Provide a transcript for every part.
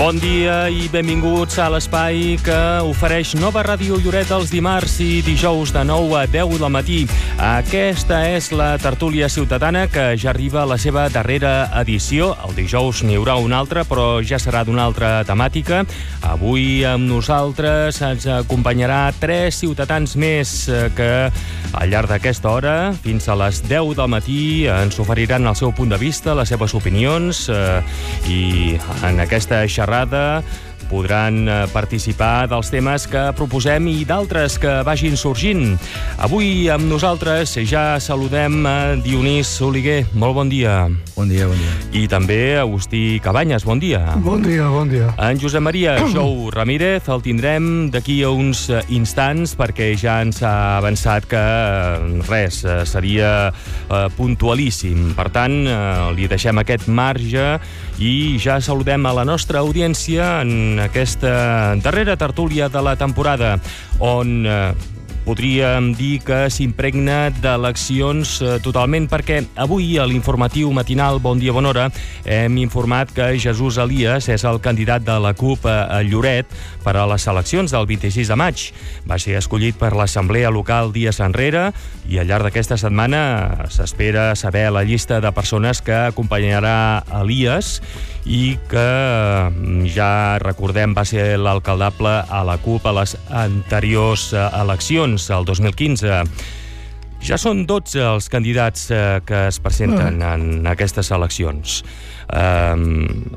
Bon dia i benvinguts a l'espai que ofereix Nova Ràdio Lloret els dimarts i dijous de 9 a 10 del matí. Aquesta és la tertúlia ciutadana que ja arriba a la seva darrera edició. El dijous n'hi haurà una altra, però ja serà d'una altra temàtica. Avui amb nosaltres ens acompanyarà 3 ciutadans més que al llarg d'aquesta hora, fins a les 10 del matí, ens oferiran el seu punt de vista, les seves opinions i en aquesta xerrada podran participar dels temes que proposem i d'altres que vagin sorgint. Avui amb nosaltres ja saludem a Dionís Oliguer. Molt bon dia. Bon dia, bon dia. I també Agustí Cabanyes. Bon dia. Bon dia, bon dia. En Josep Maria Jou Ramírez el tindrem d'aquí a uns instants perquè ja ens ha avançat que seria puntualíssim. Per tant, li deixem aquest marge i ja saludem a la nostra audiència en aquesta darrera tertúlia de la temporada, on podríem dir que s'impregna d'eleccions totalment, perquè avui a l'informatiu matinal Bon Dia Bona Hora hem informat que Jesús Elias és el candidat de la CUP a Lloret per a les eleccions del 26 de maig. Va ser escollit per l'Assemblea Local dies enrere i al llarg d'aquesta setmana s'espera saber la llista de persones que acompanyarà Elias i que ja recordem va ser l'alcaldable a la CUP a les anteriors eleccions, el 2015. Ja són 12 els candidats que es presenten en aquestes eleccions.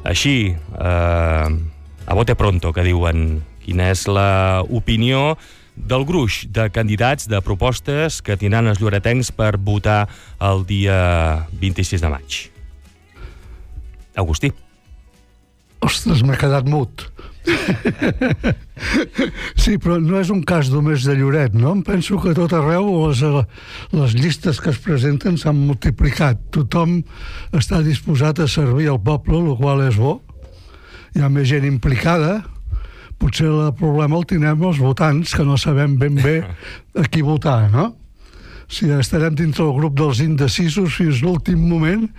Així, a bote pronto, que diuen, quina és l'opinió del gruix de candidats, de propostes que tindran els lloretencs per votar el dia 26 de maig. Agustí. Ostres, m'he quedat mut. Sí, però no és un cas només de Lloret, no? Em penso que a tot arreu les llistes que es presenten s'han multiplicat. Tothom està disposat a servir al poble, el qual és bo. Hi ha més gent implicada. Potser el problema el tindrem els votants, que no sabem ben bé a qui votar, no? Si estarem dintre el grup dels indecisos fins l'últim moment,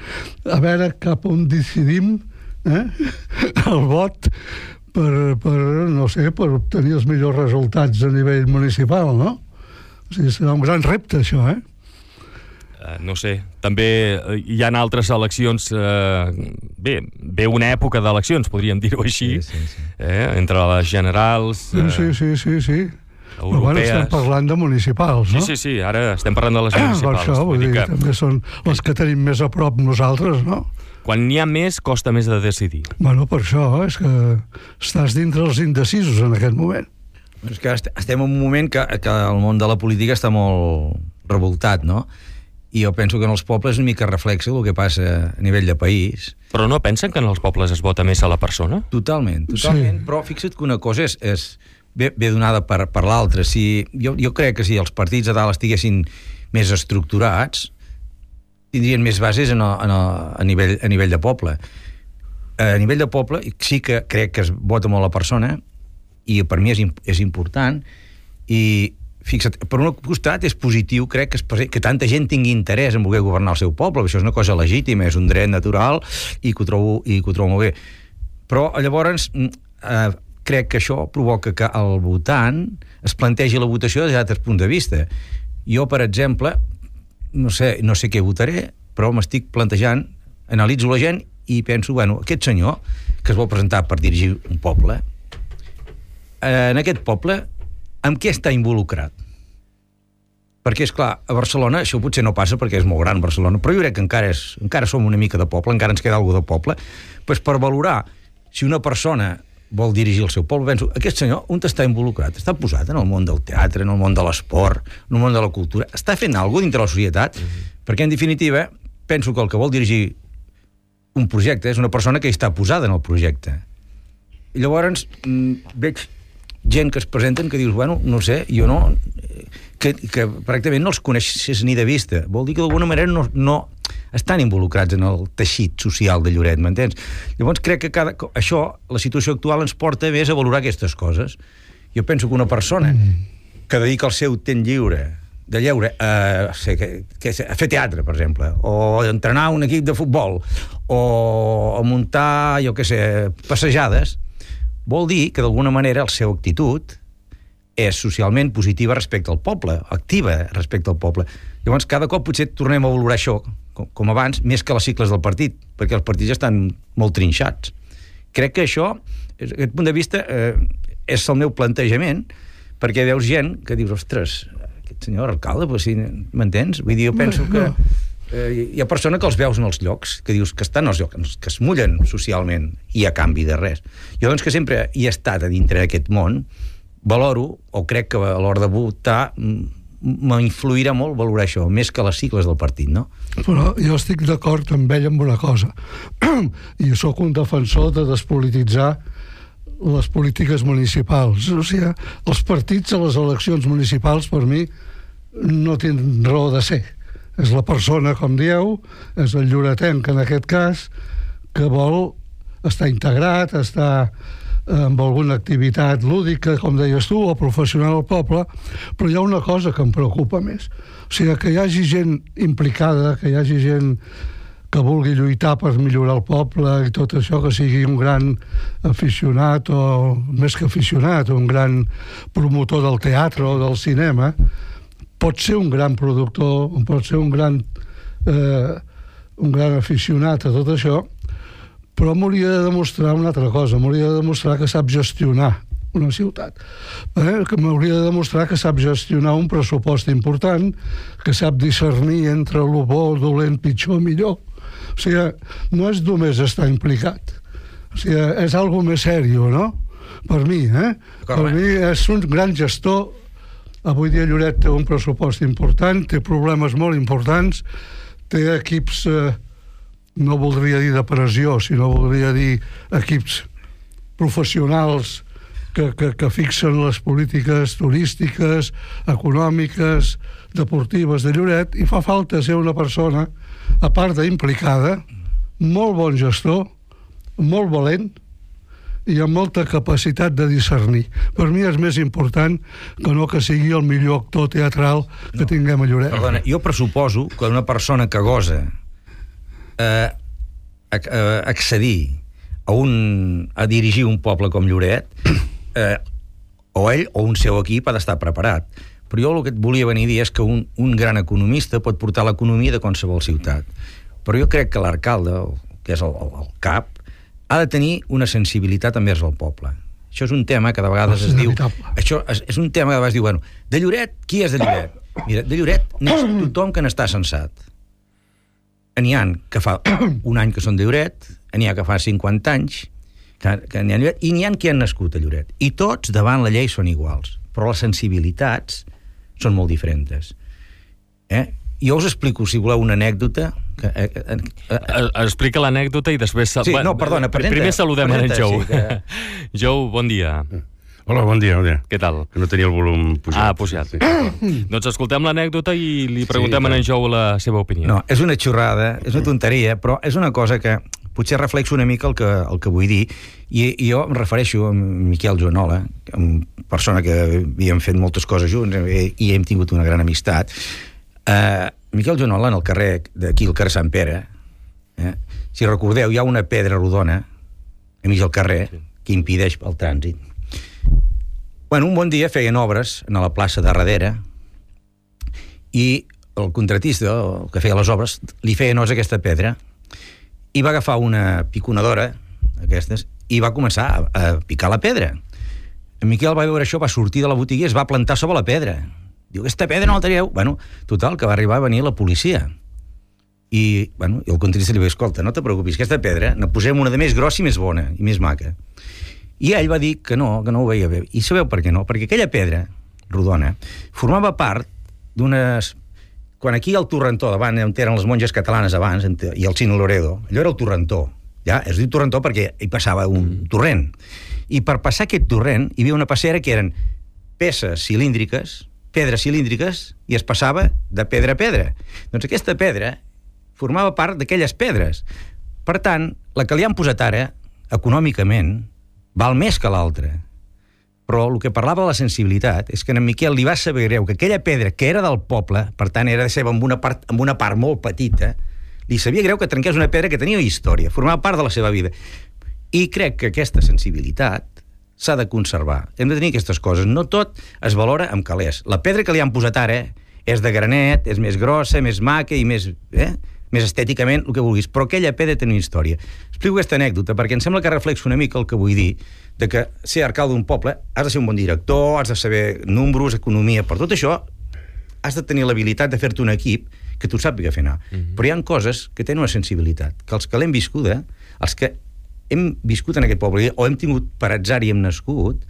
a veure cap on decidim el vot per obtenir els millors resultats a nivell municipal, no? O sigui, serà un gran repte, això, No sé, també hi ha altres eleccions, ve una època d'eleccions, podríem dir-ho així, sí. Entre les generals... Sí. Però bueno, estem parlant de municipals, no? Sí, ara estem parlant de les municipals. Per això, vull dir que també són les que tenim més a prop nosaltres, no? Quan n'hi ha més, costa més de decidir. Bueno, per això, és que estàs dintre els indecisos en aquest moment. És que estem en un moment que el món de la política està molt revoltat, no? I jo penso que en els pobles una mica reflexa el que passa a nivell de país. Però no pensen que en els pobles es vota més a la persona? Totalment. Sí. Però fixa't que una cosa ve donada per l'altra. Jo crec que si els partits a dalt estiguessin més estructurats, tindrien més bases a nivell de poble. A nivell de poble sí que crec que es vota molt la persona i per mi és important i fixa't, per un costat és positiu, crec que tanta gent tingui interès en voler governar el seu poble, això és una cosa legítima, és un dret natural i que ho trobo molt bé. Però llavors crec que això provoca que el votant es plantegi la votació des d'altres punts de vista. Jo, per exemple, no sé què votaré, però m'estic plantejant, analitzo la gent i penso, aquest senyor que es vol presentar per dirigir un poble, en aquest poble, amb què està involucrat? Perquè, és clar, a Barcelona això potser no passa perquè és molt gran Barcelona, però jo crec que encara som una mica de poble, encara ens queda alguna de poble, doncs per valorar si una persona vol dirigir el seu poble, penso, aquest senyor on està involucrat? Està posat en el món del teatre, en el món de l'esport, en el món de la cultura? Està fent alguna cosa dintre la societat? Perquè, en definitiva, penso que el que vol dirigir un projecte és una persona que hi està posada en el projecte. I llavors veig gent que es presenten que dius, no sé, jo no... que pràcticament no els coneixes ni de vista. Vol dir que d'alguna manera no estan involucrats en el teixit social de Lloret, m'entens? Llavors crec que això, la situació actual ens porta més a valorar aquestes coses. Jo penso que una persona que dedica el seu temps lliure de lleure a fer teatre, per exemple, o a entrenar un equip de futbol, o a muntar, passejades, vol dir que d'alguna manera la seva actitud és socialment positiva respecte al poble, activa respecte al poble. Llavors, cada cop potser tornem a valorar això, com abans, més que les sigles del partit, perquè els partits estan molt trinxats. Crec que això, des d'aquest punt de vista, és el meu plantejament, perquè veus gent que dius, ostres, aquest senyor alcalde, pues, sí, m'entens? Vull dir, jo penso que hi ha persones que els veus en els llocs, que dius que estan als llocs, que es mullen socialment i a canvi de res. Jo, doncs, que sempre hi he estat a dintre d'aquest món, valoro, o crec que a l'hora de votar m'influirà molt valorar això, més que les sigles del partit, no? Però jo estic d'acord amb ell amb una cosa. I sóc un defensor de despolititzar les polítiques municipals. O sigui, els partits a les eleccions municipals, per mi, no tenen raó de ser. És la persona, com dieu, és el lloretenc, en aquest cas, que vol estar integrat, estar amb alguna activitat lúdica, com deies tu, o professional al poble, però hi ha una cosa que em preocupa més. O sigui, que hi hagi gent implicada, que hi hagi gent que vulgui lluitar per millorar el poble i tot això, que sigui un gran aficionat, o més que aficionat, un gran promotor del teatre o del cinema, pot ser un gran productor, pot ser un gran aficionat a tot això, però m'hauria de demostrar una altra cosa, m'hauria de demostrar que sap gestionar una ciutat, que m'hauria de demostrar que sap gestionar un pressupost important, que sap discernir entre el bo, el dolent, pitjor, millor. O sigui, no és només estar implicat. O sigui, és algo més sèrio, no? Per mi, Per mi és un gran gestor. Avui dia Lloret té un pressupost important, té problemes molt importants, té equips, no voldria dir de pressió, sinó voldria dir equips professionals que fixen les polítiques turístiques, econòmiques, deportives de Lloret, i fa falta ser una persona, a part d'implicada, molt bon gestor, molt valent, i amb molta capacitat de discernir. Per mi és més important que no que sigui el millor actor teatral que tinguem a Lloret. Perdona, jo pressuposo que una persona que gosa accedir a dirigir un poble com Lloret, o ell o un seu equip ha d'estar preparat. Però jo el que et volia venir a dir és que un gran economista pot portar l'economia de qualsevol ciutat. Però jo crec que l'alcalde, que és el cap, ha de tenir una sensibilitat envers el poble. Això és un tema que de vegades es diu... Això és un tema que de vegades diu, bueno, de Lloret, qui és de Lloret? Mira, de Lloret n'és tothom que n'està sensat. N'hi ha que fa un any que són de Lloret, n'hi ha que fa 50 anys, que n'hi ha Lloret, i n'hi ha que han nascut a Lloret. I tots, davant la llei, són iguals. Però les sensibilitats són molt diferents. Jo us explico, si voleu, una anècdota. Explica l'anècdota i després... Sí, no, perdona, primer saludem en Jou. Sí, que... Jou, bon dia. Hola, bon dia. Què tal? Que no tenia el volum pujat. Pujat. Sí. Doncs escoltem l'anècdota i li preguntem a en Jou la seva opinió. No, és una xorrada, és una tonteria, però és una cosa que potser reflexo una mica el que vull dir, i jo em refereixo a Miquel Joanola, una persona que havíem fet moltes coses junts i hem tingut una gran amistat. Miquel Joanola, en el carrer d'aquí, el carrer Sant Pere, si recordeu, hi ha una pedra rodona a mig del carrer que impedeix el trànsit. Bueno, un bon dia feien obres a la plaça de darrere i el contratista, el que feia les obres, li feia nosa aquesta pedra i va agafar una piconadora aquestes i va començar a picar la pedra. En Miquel va veure això, va sortir de la botiga i es va plantar sobre la pedra. Diu, aquesta pedra no la traieu? Bueno, total, que va arribar a venir la policia. I el contratista li va dir, escolta, no te preocupis, aquesta pedra ne posem una de més grossa i més bona i més maca. I ell va dir que no ho veia bé. I sabeu per què no? Perquè aquella pedra rodona formava part d'unes... Quan aquí al Torrentó, davant on eren les monges catalanes abans, i el Cine Loredo, allò era el Torrentó. Ja? Es diu Torrentó perquè hi passava un torrent. I per passar aquest torrent hi havia una passera que eren pedres cilíndriques, i es passava de pedra a pedra. Doncs aquesta pedra formava part d'aquelles pedres. Per tant, la que li han posat ara, econòmicament, val més que l'altra. Però el que parlava de la sensibilitat és que a en Miquel li va saber greu que aquella pedra que era del poble, per tant era de seva amb una part molt petita, li sabia greu que trenqués una pedra que tenia història, formava part de la seva vida. I crec que aquesta sensibilitat s'ha de conservar. Hem de tenir aquestes coses. No tot es valora amb calés. La pedra que li han posat ara és de granet, és més grossa, més maca i més estèticament, el que vulguis. Però aquella pedra té una història. Explico aquesta anècdota perquè em sembla que reflexa una mica el que vull dir, de que ser alcalde d'un poble has de ser un bon director, has de saber números, economia, per tot això has de tenir l'habilitat de fer-te un equip que tu sàpiga fer anar. Però hi ha coses que tenen una sensibilitat, que els que l'hem viscuda, els que hem viscut en aquest poble, o hem tingut per atzar i hem nascut,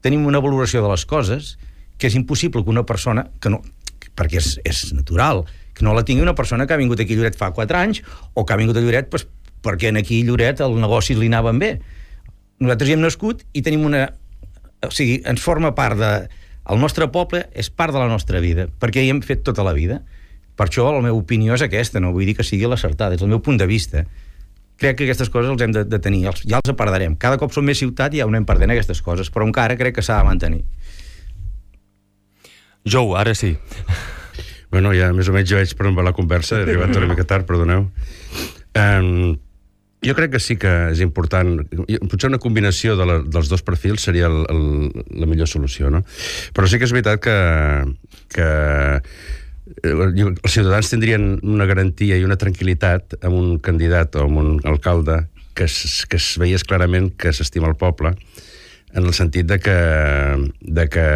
tenim una valoració de les coses que és impossible que una persona, que no, perquè és natural, que no la tingui una persona que ha vingut aquí a Lloret fa 4 anys, o que ha vingut a Lloret doncs, perquè aquí a Lloret el negoci li anaven bé. Nosaltres hi hem nascut i tenim una... O sigui, ens forma part de... El nostre poble és part de la nostra vida, perquè hi hem fet tota la vida. Per això la meva opinió és aquesta, no vull dir que sigui l'acertada, des del meu punt de vista. Crec que aquestes coses els hem de tenir, ja els perdrem. Cada cop som més ciutat i ja ho anem perdent aquestes coses, però encara crec que s'ha de mantenir. Jou, ara sí. Bueno, ja més o menys jo vaig per on va la conversa, he arribat una mica tard, perdoneu. Jo crec que sí que és important, potser una combinació dels dos perfils seria la millor solució, no? Però sí que és veritat que els ciutadans tindrien una garantia i una tranquil·litat amb un candidat o amb un alcalde que es veiés clarament que s'estima el poble, en el sentit de que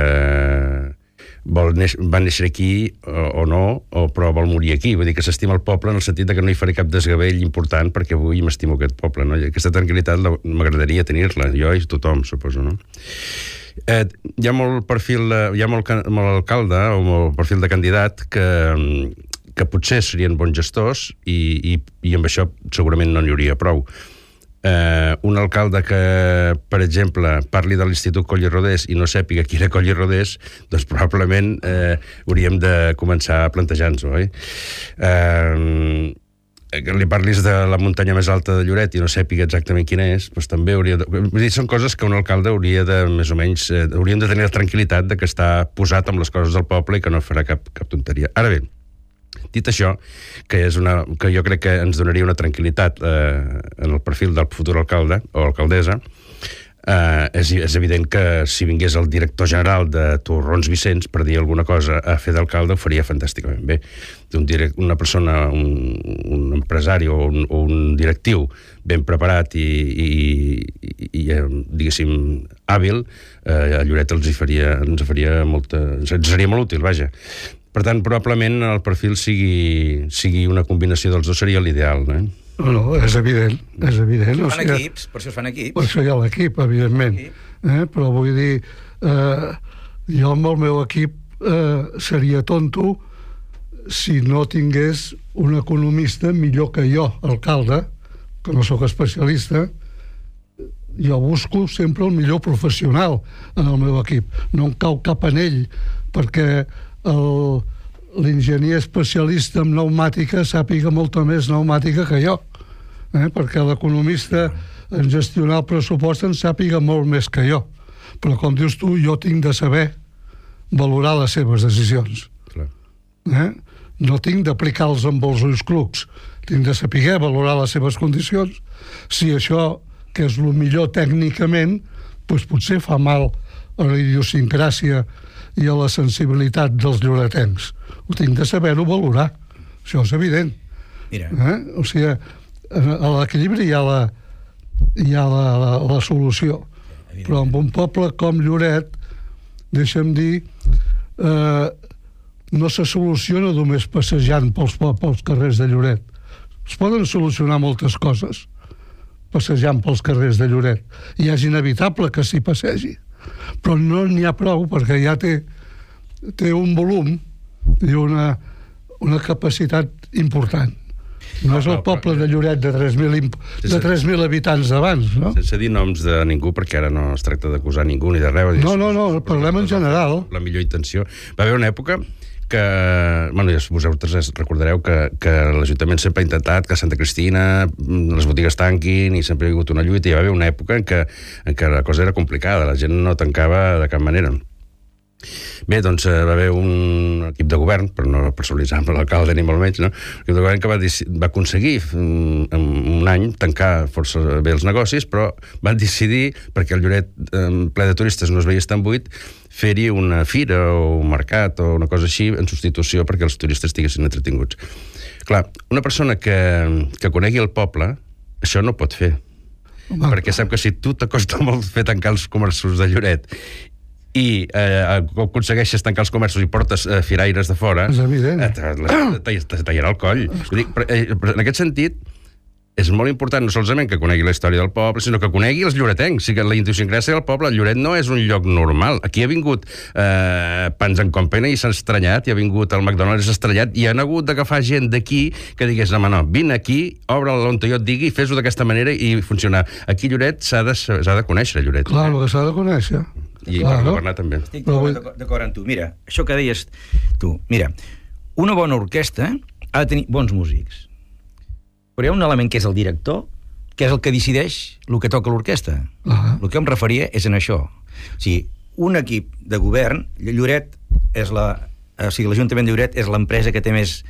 va néixer aquí o no, però vol morir aquí. Vull dir que s'estima el poble en el sentit de que no hi faré cap desgavell important perquè avui m'estimo aquest poble, no? I aquesta tranquil·litat m'agradaria tenir-la, jo i tothom, suposo, no? Hi ha molt perfil, hi ha molt alcalde o molt perfil de candidat que potser serien bons gestors i amb això segurament no n'hi hauria prou. Un alcalde que, per exemple, parli de l'Institut Coll i Rodés i no sàpiga qui era Coll i Rodés, doncs probablement hauríem de començar a plantejar-nos-ho, oi? Que li parlis de la muntanya més alta de Lloret i no sàpiga exactament quina és, doncs també hauria de... Vull dir, són coses que un alcalde hauria de, més o menys, hauríem de tenir la tranquil·litat de que està posat amb les coses del poble i que no farà cap tonteria. Ara bé, dit això, que jo crec que ens donaria una tranquil·litat en el perfil del futur alcalde o alcaldessa, és evident que si vingués el director general de Torrons Vicenç per dir alguna cosa a fer d'alcalde ho faria fantàsticament bé. Una persona, un empresari o un directiu ben preparat i diguéssim, hàbil, a Lloret ens seria molt útil, vaja. Per tant, probablement el perfil sigui una combinació dels dos seria l'ideal, no? No, és evident, és evident. Per això es fan equips. Per això hi ha l'equip, evidentment. Però vull dir, jo amb el meu equip seria tonto si no tingués un economista millor que jo, alcalde, que no sóc especialista. Jo busco sempre el millor professional en el meu equip. No em cau cap anell, perquè l'enginyer especialista en pneumàtica sàpiga molta més pneumàtica que jo, perquè l'economista en gestionar el pressupost en sàpiga molt més que jo. Però, com dius tu, jo tinc de saber valorar les seves decisions. No tinc d'aplicar-los amb els ulls clucs. Tinc de saber valorar les seves condicions. Si això, que és el millor tècnicament, doncs potser fa mal a la idiosincràsia i a la sensibilitat dels lloretencs. Ho tinc de saber-ho valorar. Això és evident. O sigui, a l'equilibri hi ha la solució. Però en un poble com Lloret, deixa'm dir, no se soluciona només passejant pels carrers de Lloret. Es poden solucionar moltes coses passejant pels carrers de Lloret. I és inevitable que s'hi passegi. Però no n'hi ha prou perquè ja té un volum i una capacitat important. No és el poble de Lloret de 3.000 habitants d'abans, no? Sense dir noms de ningú, perquè ara no es tracta d'acusar ningú ni de res. No, parlem en general. La millor intenció. Va haver una època que, bueno, vosaltres recordareu que l'Ajuntament sempre ha intentat que a Santa Cristina les botigues tanquin i sempre hi ha hagut una lluita i hi va haver una època en què la cosa era complicada, la gent no tancava de cap manera. Bé, doncs va haver un equip de govern, però no personalitzar amb l'alcalde ni molt menys, no? L'equip de govern que va aconseguir en un any tancar força bé els negocis, però van decidir, perquè el Lloret ple de turistes no es veia tan buit, fer-hi una fira o un mercat o una cosa així en substitució perquè els turistes estiguessin entretinguts. Clar, una persona que conegui el poble, això no pot fer. Perquè sap que si tu t'acosta molt fer tancar els comerços de Lloret i aconsegueixes tancar els comerços i portes firaires de fora, és evident. tallarà el coll. Però en aquest sentit, és molt important no solament que conegui la història del poble, sinó que conegui els lloretencs, o sigui, la idiosincràsia del poble. El Lloret no és un lloc normal. Aquí ha vingut Pans en Company i s'ha estranyat, i ha vingut el McDonald's i s'ha estranyat, i han hagut d'agafar gent d'aquí que digués, no, vine aquí, obre-la on jo et digui, fes-ho d'aquesta manera i funcionar. Aquí Lloret s'ha de conèixer, Lloret. Clar, el que s'ha de conèixer. I per governar també. Estic d'acord amb tu. Mira, això que deies tu. Mira, una bona orquestra ha de tenir bons músics. Però hi ha un element que és el director, que és el que decideix el que toca l'orquestra. El que em referia és en això. O sigui, un equip de govern, Lloret és l'Ajuntament de Lloret és l'empresa que té més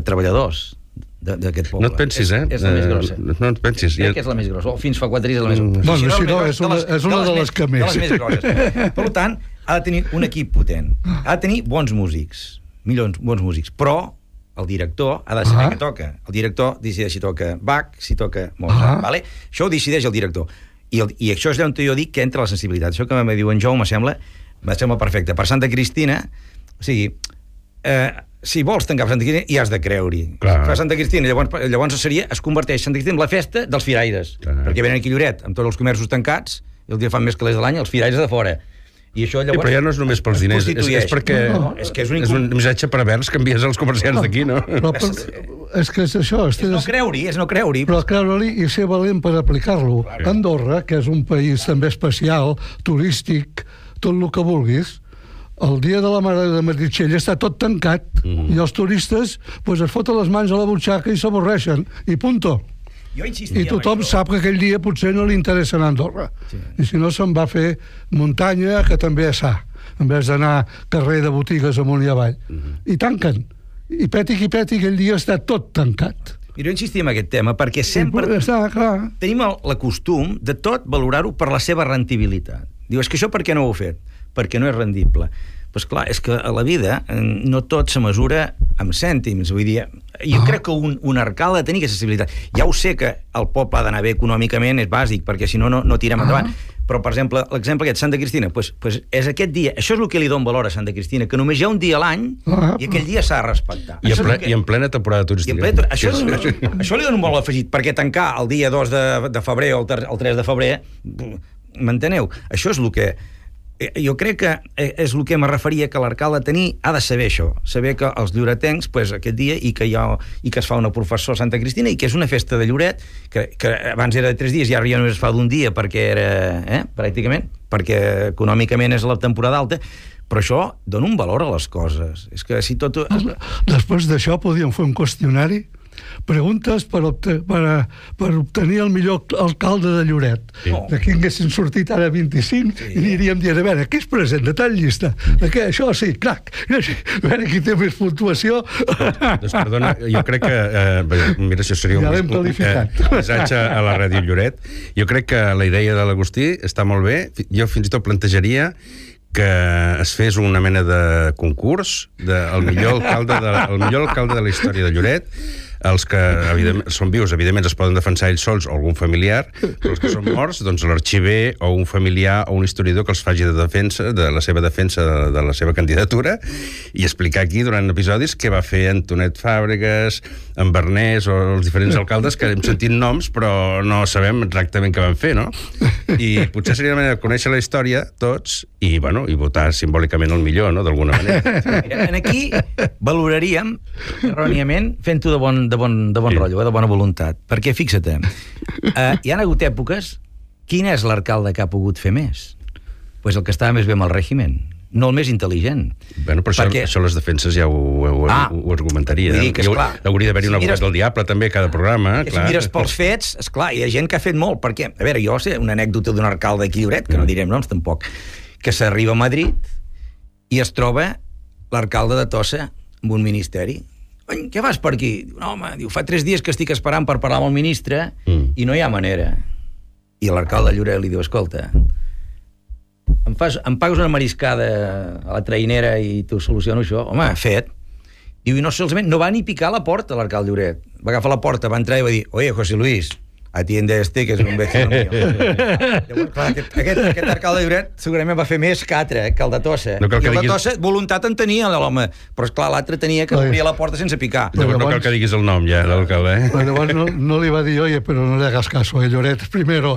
treballadors d'aquest poble. No et pensis, És la més grossa. No et pensis. Crec que és la més grossa. Fins fa 4 dies és la més grossa. Bueno, si no, és una de les que més. De les més grosses. Per tant, ha de tenir un equip potent. Ha de tenir bons músics. Bons músics. Però el director ha de saber què toca. El director decideix si toca Bach, si toca Mozart. Vale? Això ho decideix el director. I això és on jo dic que entra la sensibilitat. Això que me diu en Jou me sembla perfecte. Per Santa Cristina, o sigui, si vols tancar Santa Cristina, hi has de creure-hi. Per Santa Cristina, llavors es converteix Santa Cristina en la festa dels firaires. Perquè venen aquí a Lloret, amb tots els comerços tancats, i el dia fan més calés de l'any, els firaires de fora. I això llavors... Però ja no és només pels diners, és perquè és un missatge pervers que envies als comerciants d'aquí, no? És que és això. És no creure-hi. Però creure-hi i ser valent per aplicar-lo. Andorra, que és un país també especial, turístic, tot el que vulguis, el dia de la Mare de Meritxell està tot tancat i els turistes es foten les mans a la butxaca i s'avorreixen. I punto. I tothom sap que aquell dia potser no li interessa anar a Andorra. I si no, se'n va fer muntanya, que també és sa, en vez d'anar carrer de botigues amunt i avall. I tanquen. I peti qui peti, aquell dia està tot tancat. I jo insistia en aquest tema perquè sempre tenim el costum de tot valorar-ho per la seva rendibilitat. Diu, és que això per què no ho heu fet? Perquè no és rendible. Doncs clar, és que a la vida no tot se mesura amb cèntims, vull dir, jo crec que un arcalde ha de tenir aquesta sensibilitat. Ja ho sé que el poble ha d'anar bé econòmicament, és bàsic, perquè si no, no tirem endavant. Però, per exemple, l'exemple aquest, Santa Cristina, és aquest dia, això és el que li dona valor a Santa Cristina, que només hi ha un dia a l'any i aquell dia s'ha de respectar. I en plena temporada turística. Això li dona un valor afegit, perquè tancar el dia 2 de febrer o el 3 de febrer, m'enteneu? Això és el que... Jo crec que és el que me referia, que l'alcalde ha de saber això, saber que els lloretencs, aquest dia, i que es fa una professó a Santa Cristina, i que és una festa de Lloret, que abans era de 3 dies, i ara ja només es fa d'un dia, perquè era, pràcticament, perquè econòmicament és la temporada alta, però això dona un valor a les coses. És que si tot... Després d'això podíem fer un qüestionari, preguntes per obtenir el millor alcalde de Lloret. D'aquí haguessin sortit ara 25 i aniríem dient, a veure, què es presenta tal llista? Això sí, crac. A veure qui té més puntuació. Doncs perdona, jo crec que mira, això seria un missatge a la ràdio Lloret. Jo crec que la idea de l'Agustí està molt bé. Jo fins i tot plantejaria que es fes una mena de concurs del millor alcalde de la història de Lloret. Els que són vius, evidentment, es poden defensar ells sols o algun familiar, però els que són morts, doncs l'arxiver o un familiar o un historiador que els faci de la seva defensa de la seva candidatura i explicar aquí durant episodis què va fer Antonet Fàbregas, en Bernès o els diferents alcaldes, que hem sentit noms però no sabem exactament què van fer, no? I potser seria una manera de conèixer la història tots i votar simbòlicament el millor, no?, d'alguna manera. Aquí valoraríem erròniament fent-ho de bon rotllo, de bona voluntat. Perquè, fixa't, hi ha hagut èpoques, quin és l'alcalde que ha pogut fer més? Pues el que estava més bé amb el règim, no el més intel·ligent. Bueno, però això les defenses ja ho argumentaria. Hauria d'haver-hi un abogat del diable també a cada programa. Si mires pels fets, esclar, hi ha gent que ha fet molt, perquè, a veure, jo sé una anècdota d'un alcalde aquí a Lloret, que no direm noms tampoc, que s'arriba a Madrid i es troba l'alcalde de Tossa amb un ministeri. Què fas per aquí? Diu, no, home, diu, fa 3 dies que estic esperant per parlar amb el ministre i no hi ha manera. I l'alcalde de Lloret li diu, escolta, em pagues una mariscada a la trainera i t'ho soluciono això? Home, fet. Diu, i no va ni picar a la porta l'alcalde de Lloret. Va agafar la porta, va entrar i va dir, oye, José Luis, atiende este, que és un vecino mío. Llavors, clar, aquest alcalde de Lloret segurament va fer més que altre, que el de Tossa. No cal que I el de diguis... Tossa, voluntat en tenia, l'home. Però, esclar, l'altre tenia que obrir la porta sense picar. Llavors no cal que diguis el nom, ja, l'alcalde, Llavors no li va dir, oye, però no le hagas caso, Lloret, primero.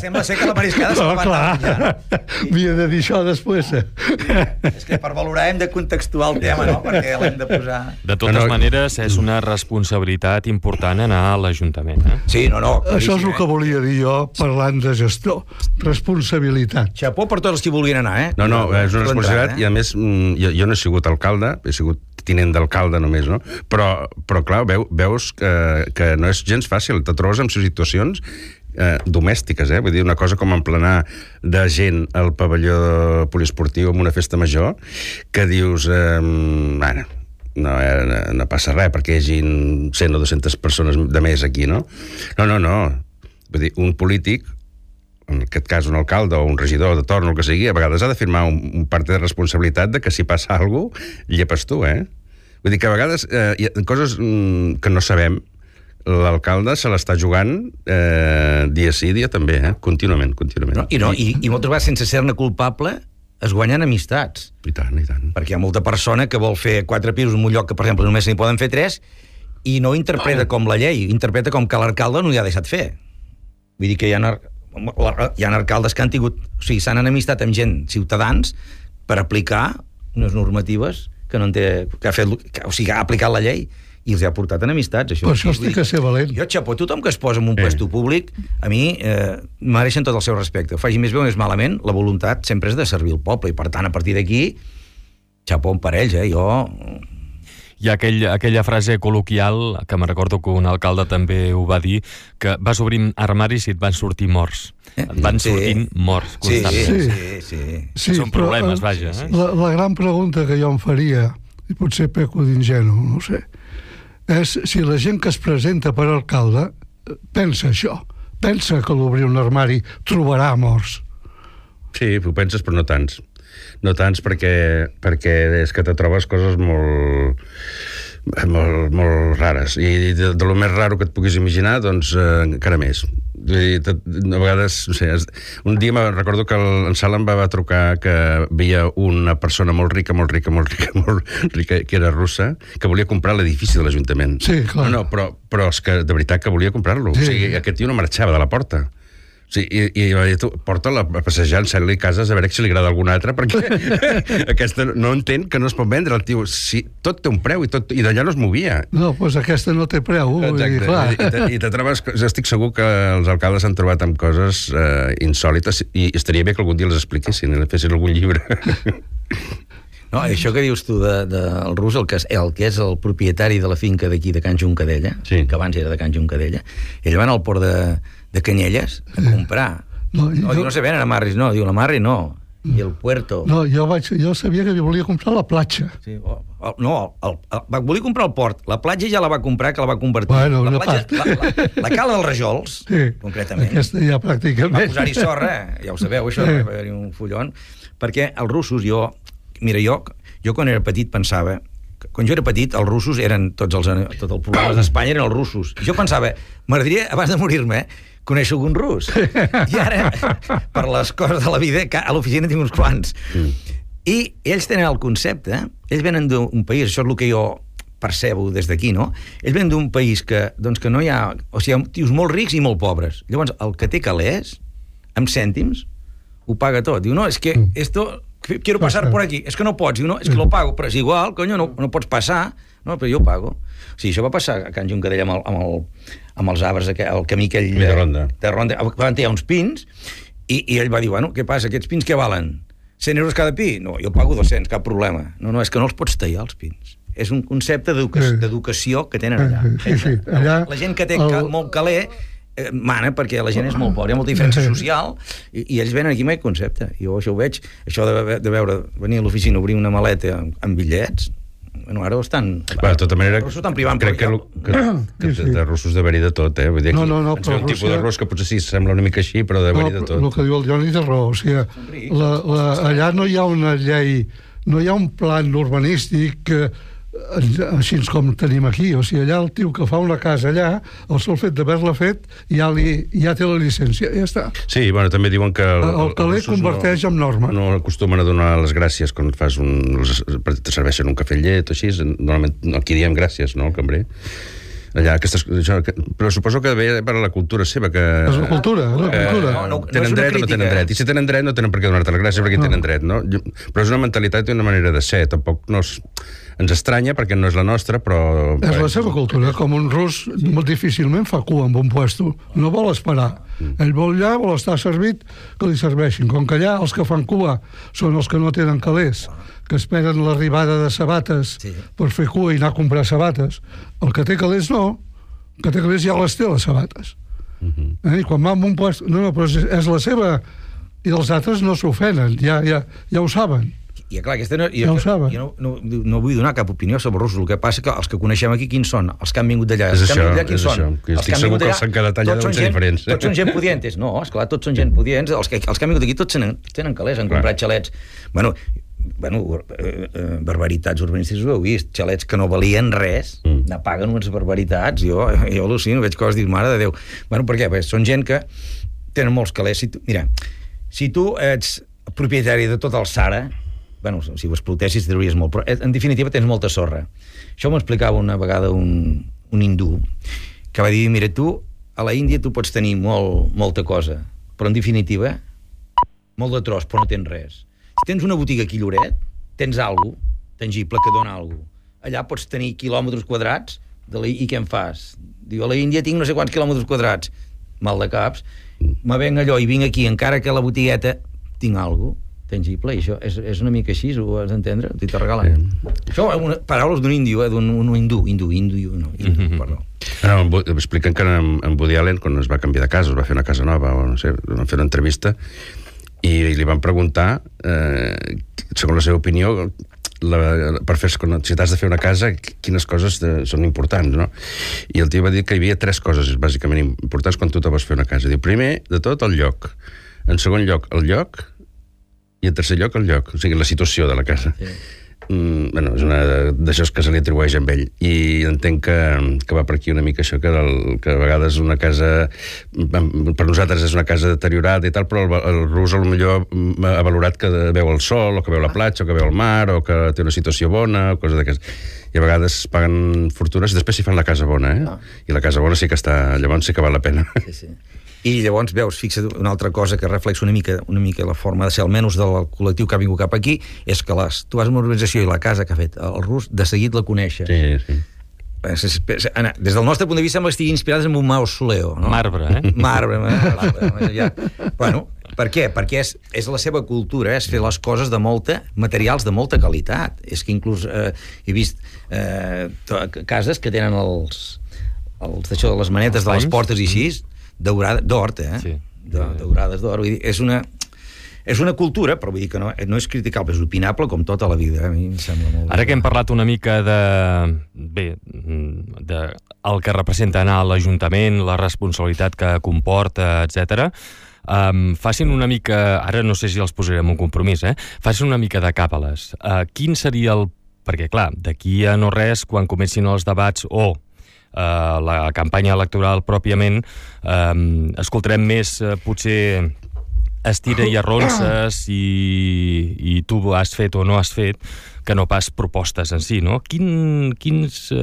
Sembla ser que la mariscada se la va anar menjant. Havia de dir això després. És que per valorar hem de contextuar el tema, no? Perquè l'hem de posar... De totes maneres, és una responsabilitat important anar a l'Ajuntament. Sí, no. Això és el que volia dir jo parlant de gestor. Responsabilitat. Xapó per tots els que vulguin anar, No, és una responsabilitat, i a més, jo no he sigut alcalde, he sigut tinent d'alcalde només, no? Però clar, veus que no és gens fàcil, te trobes en situacions domèstiques, Vull dir, una cosa com emplenar de gent al pavelló poliesportiu en una festa major, que dius, no passa res perquè hi hagi 100 o 200 persones de més aquí, no? No. Vull dir, un polític, en aquest cas un alcalde o un regidor de torn o el que sigui, a vegades ha de firmar un part de responsabilitat de que si passa alguna cosa, llepes tu, Vull dir que a vegades hi ha coses que no sabem, l'alcalde se l'està jugant dia sí, dia també, contínuament. I moltes vegades, sense ser-ne culpable, es guanyen amistats. I tant. Perquè hi ha molta persona que vol fer 4 pisos en un lloc que, per exemple, només n'hi poden fer 3 i no interpreta com la llei, interpreta com que l'alcalde no li ha deixat fer. Vull dir que hi ha alcaldes que han tingut... O sigui, s'han enemistat amb gent, ciutadans, per aplicar unes normatives que no en té... que ha aplicat la llei i els ha portat enemistats. Per això estic a ser valent. Jo, xapó, tothom que es posa en un puesto públic, a mi mereixen tot el seu respecte. Ho faci més bé o més malament, la voluntat sempre és de servir el poble, i per tant, a partir d'aquí, xapó per ells, jo... Hi ha aquella frase col·loquial, que me recordo que un alcalde també ho va dir, que vas obrint armaris i et van sortir morts. Et van sortint morts constantment. Sí. Són problemes, vaja. La gran pregunta que jo em faria, i potser peco d'ingenu, no ho sé, és si la gent que es presenta per alcalde pensa això, pensa que l'obrir un armari trobarà morts. Sí, ho penses, però no tants. No tants perquè és que te trobes coses molt rares, i de lo més raro que et puguis imaginar, doncs encara més. A vegades, no sé, un dia me recordo que en Sala em va trucar que veia una persona molt rica, que era russa, que volia comprar l'edifici de l'Ajuntament. Sí, clar. No, però és que de veritat que volia comprar-lo. Sí. O sigui, aquest tio no marxava de la porta. Sí, i va dir, tu, porta-la a passejar, ensenyar-li cases, a veure si li agrada alguna altra, perquè aquesta no entén que no es pot vendre. El tio, sí, tot té un preu, i d'allà no es movia. No, doncs aquesta no té preu. Exacte, i te trobes... Estic segur que els alcaldes s'han trobat amb coses insòlites, i estaria bé que algun dia les expliquessin, i fessin algun llibre. No, això que dius tu del rus, el que és el propietari de la finca d'aquí de Can Juncadella, que abans era de Can Juncadella, ell va anar al port de Canyelles a comprar. No se venen amarris, no, diu l'amarri no, i el puerto. No, jo sabia que volia comprar la platja. Sí, volia comprar el port, la platja ja la va comprar, que la va convertir. Bueno, la cala dels Rajols, concretament. Aquesta ja pràcticament. Va posar-hi sorra, ja ho sabeu, això, va haver-hi un follon, perquè els russos, jo quan era petit pensava, quan jo era petit, els russos eren tot el problema d'Espanya eren els russos. Jo pensava, m'agradaria, abans de morir-me, conèixer algun rus. I ara, per les coses de la vida, a l'oficina tinc uns quants. I ells tenen el concepte, ells venen d'un país, això és el que jo percebo des d'aquí, no? Ells venen d'un país que no hi ha... O sigui, hi ha tios molt rics i molt pobres. Llavors, el que té calés, amb cèntims, ho paga tot. Diu, no, és que esto... Quiero pasar por aquí. És que no pots. Diu, no, és que lo pago. Però és igual, coño, no pots passar. No, però jo pago. O sigui, això va passar a Can Juncadella amb els arbres, el camí aquell de Ronda. Van tirar uns pins i ell va dir, bueno, què passa? Aquests pins què valen? 100 euros cada pi? No, jo pago 200, cap problema. No, és que no els pots tallar, els pins. És un concepte d'educació que tenen allà. Sí, allà la gent que té molt caler mana perquè la gent és molt pobra, hi ha molta diferència social i ells venen aquí amb aquest concepte. Jo això ho veig, això de veure, venir a l'oficina, obrir una maleta amb bitllets, bueno, ara ho estan... De tota manera, crec que de russos d'haver-hi de tot, Vull dir, no, ens ve un tipus de rus que potser sí sembla una mica així, però d'haver-hi de tot. El que diu el Johnny té raó, o sigui, allà no hi ha una llei, no hi ha un plan urbanístic així com tenim aquí, o sigui, allà el tio que fa una casa allà, el sol fet d'haver-la fet ja té la llicència, ja està. Sí, bueno, també diuen que el caler converteix en norma. No acostumen a donar les gràcies quan fas te serveixen un cafè amb llet o així, normalment aquí diem gràcies, no, al cambrer. Allà, però suposo que ve per a la cultura seva, que... És la cultura, tenen dret o no tenen dret, i si tenen dret no tenen per què donar-te les gràcies perquè tenen dret, no? Però és una mentalitat i una manera de ser, tampoc no ens estranya perquè no és la nostra, però... És la seva cultura, com un rus molt difícilment fa cua amb un puesto, no vol esperar. Ell vol allà, vol estar servit, que li serveixin. Com que allà els que fan cua són els que no tenen calés, que esperen l'arribada de sabates per fer cua i anar a comprar sabates. El que té calés no, el que té calés ja les té, les sabates. I quan va en un puesto... No, però és la seva... I els altres no s'ofenen, ja ho saben. I clar, jo no vull donar cap opinió sobre els russos, el que passa que els que coneixem aquí quins són? Els que han vingut d'allà. És això, estic segur que els que han quedat allà deuen ser diferents. Tots són gent pudientes. No, esclar, tots són gent pudients. Els que han vingut aquí tots tenen calés, han comprat xalets. Bueno, barbaritats urbanístiques ho heu vist, xalets que no valien res, n'apaguen unes barbaritats, jo al·lucino, veig coses, dic, mare de Déu. Bueno, per què? Perquè són gent que tenen molts calés. Mira, si tu ets propietari de tot el Sahara, bueno, si ho explotessis trauries molt, però en definitiva tens molta sorra. Això m'ho explicava una vegada un hindú, que va dir, mira, tu a la Índia tu pots tenir molta cosa, però en definitiva molt de tros, però no tens res. Si tens una botiga aquí a Lloret, tens alguna cosa tangible que dona alguna cosa. Allà pots tenir quilòmetres quadrats i què en fas? Diu, a la Índia tinc no sé quants quilòmetres quadrats. Mal de caps. Me venc allò i vinc aquí, encara que a la botigueta tinc alguna cosa tangible, i això és una mica així, ho has d'entendre? T'hi te regalen. Això, paraules d'un índio, d'un hindú, perdó. Expliquen que en Woody Allen, quan es va canviar de casa, es va fer una casa nova, o no sé, van fer una entrevista, i li van preguntar, segons la seva opinió, si t'has de fer una casa, quines coses són importants, no? I el tio va dir que hi havia 3 coses bàsicament importants quan tu te vas fer una casa. Diu, primer de tot, el lloc. En segon lloc, el lloc, i en tercer lloc, el lloc, o sigui, la situació de la casa. Sí. Bueno, és una d'això que se li atribueix a ell. I entenc que va per aquí una mica això, que a vegades una casa, per nosaltres és una casa deteriorada i tal, però el rus potser ha valorat que veu el sol, o que veu la platja, o que veu el mar, o que té una situació bona, o coses d'aquestes. I a vegades paguen fortunes i després s'hi fan la casa bona, I la casa bona sí que està... Llavors sí que val la pena. Sí. I llavors, veus, fixa't, una altra cosa que reflexa una mica la forma de ser, almenys del col·lectiu que ha vingut cap aquí, és que tu vas a una organització i la casa que ha fet el rus, de seguit la coneixes. Sí. Des del nostre punt de vista sembla que estigui inspirades en un mausoleo, no? Marbre. Bueno, per què? Perquè és la seva cultura, és fer les coses materials de molta qualitat. És que inclús he vist cases que tenen d'això, les manetes de les portes i així, d'or, Sí. Daurades d'or. És una cultura, però vull dir que no és criticable, és opinable com tota la vida. A mi em sembla molt... Ara que hem parlat una mica de el que representa anar a l'Ajuntament, la responsabilitat que comporta, etc. Facin una mica... Ara no sé si els posarem un compromís, Facin una mica de càbales. Quin seria el... Perquè, clar, d'aquí a no res, quan comencin els debats o la campanya electoral pròpiament, escoltarem més potser estira i arronses i tu has fet o no has fet, que no pas propostes en si, no? Quins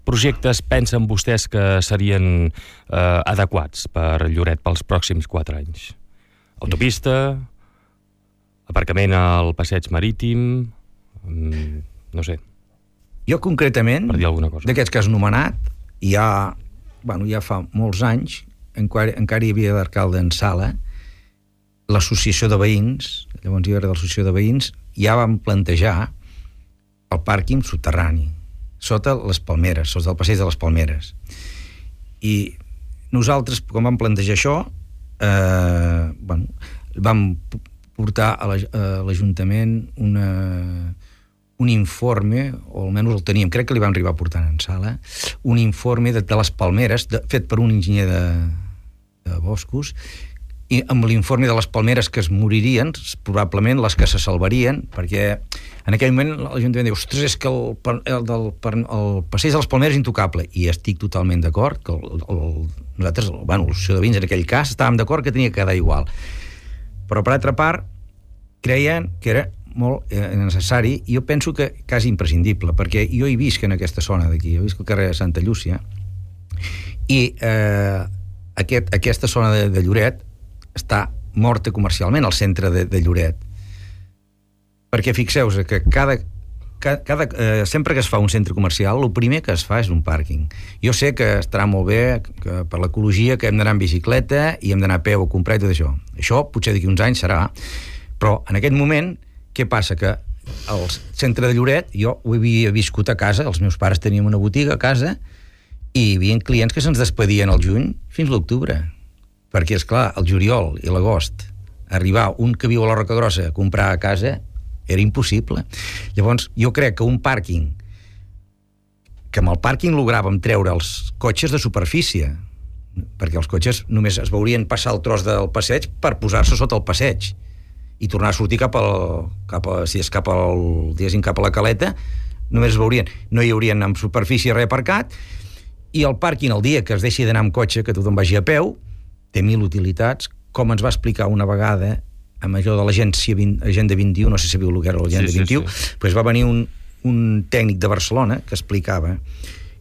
projectes pensen vostès que serien adequats per Lloret pels pròxims 4 anys? Autopista, aparcament al passeig marítim, no sé. Jo concretament, d'aquests que has nomenat, ja fa molts anys, encara hi havia d'alcalde en Sala, l'associació de veïns, llavors hi va haver l'associació de veïns, ja vam plantejar el pàrquing subterrani, sota les Palmeres, sota el passeig de les Palmeres. I nosaltres, quan vam plantejar això, vam portar a l'Ajuntament un informe, o almenys el teníem, crec que li vam arribar a portar en sala, un informe de les palmeres, fet per un enginyer de boscos, i amb l'informe de les palmeres que es moririen, probablement les que se salvarien, perquè en aquell moment l'Ajuntament diu, ostres, és que el passeig de les palmeres és intocable, i estic totalment d'acord, que nosaltres, els ciutadans en aquell cas, estàvem d'acord que tenia que quedar igual. Però, per altra part, creien que era molt necessari, i jo penso que quasi imprescindible, perquè jo hi visc en aquesta zona d'aquí, jo visc al carrer de Santa Llúcia, i aquesta zona de Lloret està morta comercialment, al centre de Lloret. Perquè fixeu-vos que sempre que es fa un centre comercial, el primer que es fa és un pàrquing. Jo sé que estarà molt bé que per l'ecologia, que hem d'anar en bicicleta i hem d'anar a peu a comprar i tot això. Això potser d'aquí uns anys serà, però en aquest moment què passa? Que al centre de Lloret jo ho havia viscut a casa, els meus pares tenien una botiga a casa i hi havia clients que se'ns despedien al juny fins a l'octubre, perquè, és clar, el juliol i l'agost arribar un que viu a la Roca Grossa a comprar a casa era impossible. Llavors, jo crec que un pàrquing, que amb el pàrquing logràvem treure els cotxes de superfície, perquè els cotxes només es veurien passar el tros del passeig per posar-se sota el passeig i tornar a sortir cap a la caleta, només es veurien, no hi haurien amb superfície res aparcat, i el pàrquing el dia que es deixi d'anar amb cotxe, que tothom vagi a peu, té 1000 utilitats, com ens va explicar una vegada amb allò de l'agència Agenda 21, no sé si sabíeu el que era l'Agenda 21, doncs va venir un tècnic de Barcelona que explicava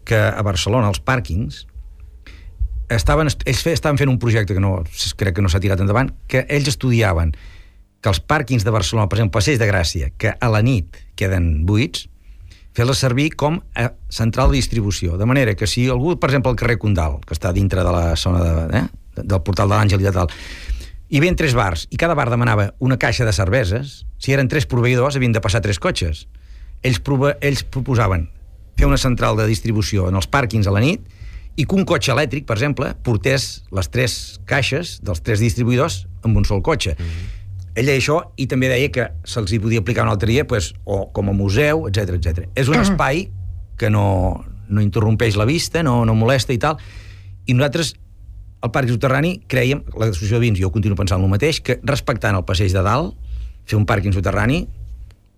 que a Barcelona els pàrquings ells estaven fent un projecte que crec que no s'ha tirat endavant, que ells estudiaven que els pàrquings de Barcelona, per exemple, Passeig de Gràcia, que a la nit queden buits, fer-les servir com a central de distribució. De manera que si algú, per exemple, al carrer Condal, que està dintre de la zona del portal de l'Àngel i de tal, hi havia 3 bars, i cada bar demanava una caixa de cerveses, si eren 3 proveïdors havien de passar 3 cotxes. Ells proposaven fer una central de distribució en els pàrquings a la nit i que un cotxe elèctric, per exemple, portés les 3 caixes dels 3 distribuïdors amb un sol cotxe. Ell deia això i també deia que se'ls hi podia aplicar un altre dia, o com a museu, etc etc. És un espai que no interrompeix la vista, no molesta i tal, i nosaltres al Parc Soterrani creiem, l'associació de veïns, jo continuo pensant el mateix, que respectant el passeig de dalt, fer un pàrquing soterrani,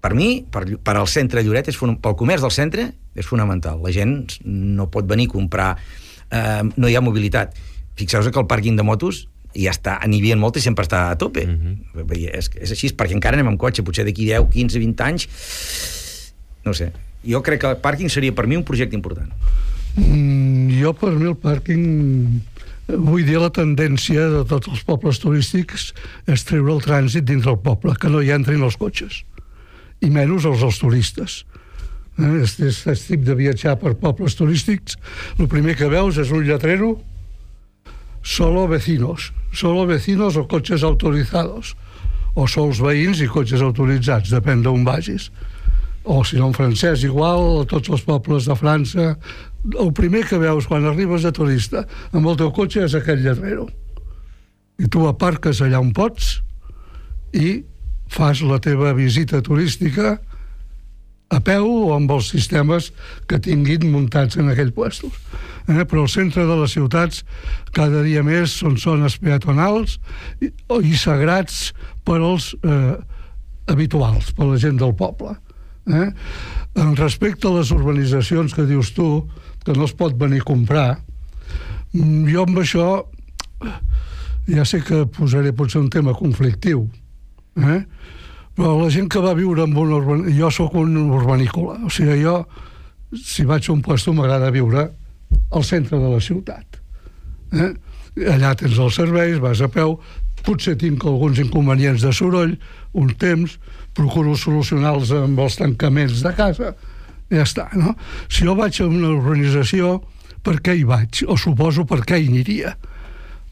per mi, per al centre de Lloret, pel comerç del centre, és fonamental. La gent no pot venir a comprar, no hi ha mobilitat. Fixeu-vos que el pàrquing de motos ja està, n'hi havia molt i sempre està a tope. És així, perquè encara anem amb cotxe, potser d'aquí 10, 15, 20 anys, no sé. Jo crec que el pàrquing seria per mi un projecte important. Jo, per mi, el pàrquing, vull dir, la tendència de tots els pobles turístics és treure el trànsit dins del poble, que no hi entrin els cotxes, i menys els turistes. Aquest tip de viatjar per pobles turístics, el primer que veus és un lletrero, solo vecinos o cotxes autorizados, o sols veïns i cotxes autoritzats, depèn d'on vagis. O si no en francès, igual, a tots els pobles de França, el primer que veus quan arribes de turista amb el teu cotxe és aquell lletrero. I tu aparques allà on pots i fas la teva visita turística a peu o amb els sistemes que tinguin muntats en aquells puestos. Però el centre de les ciutats cada dia més són zones peatonals i sagrats per als habituals, per la gent del poble. En respecte a les urbanitzacions que dius tu, que no es pot venir a comprar, jo amb això ja sé que posaré potser un tema conflictiu, però la gent que va viure en un urbanícola, jo sóc un urbanícola, o sigui, jo si vaig a un puesto m'agrada viure al centre de la ciutat. Allà tens els serveis, vas a peu, potser tinc alguns inconvenients de soroll, un temps, procuro solucionar-los amb els tancaments de casa, ja està, no? Si jo vaig a una urbanització, per què hi vaig? O suposo per què hi aniria?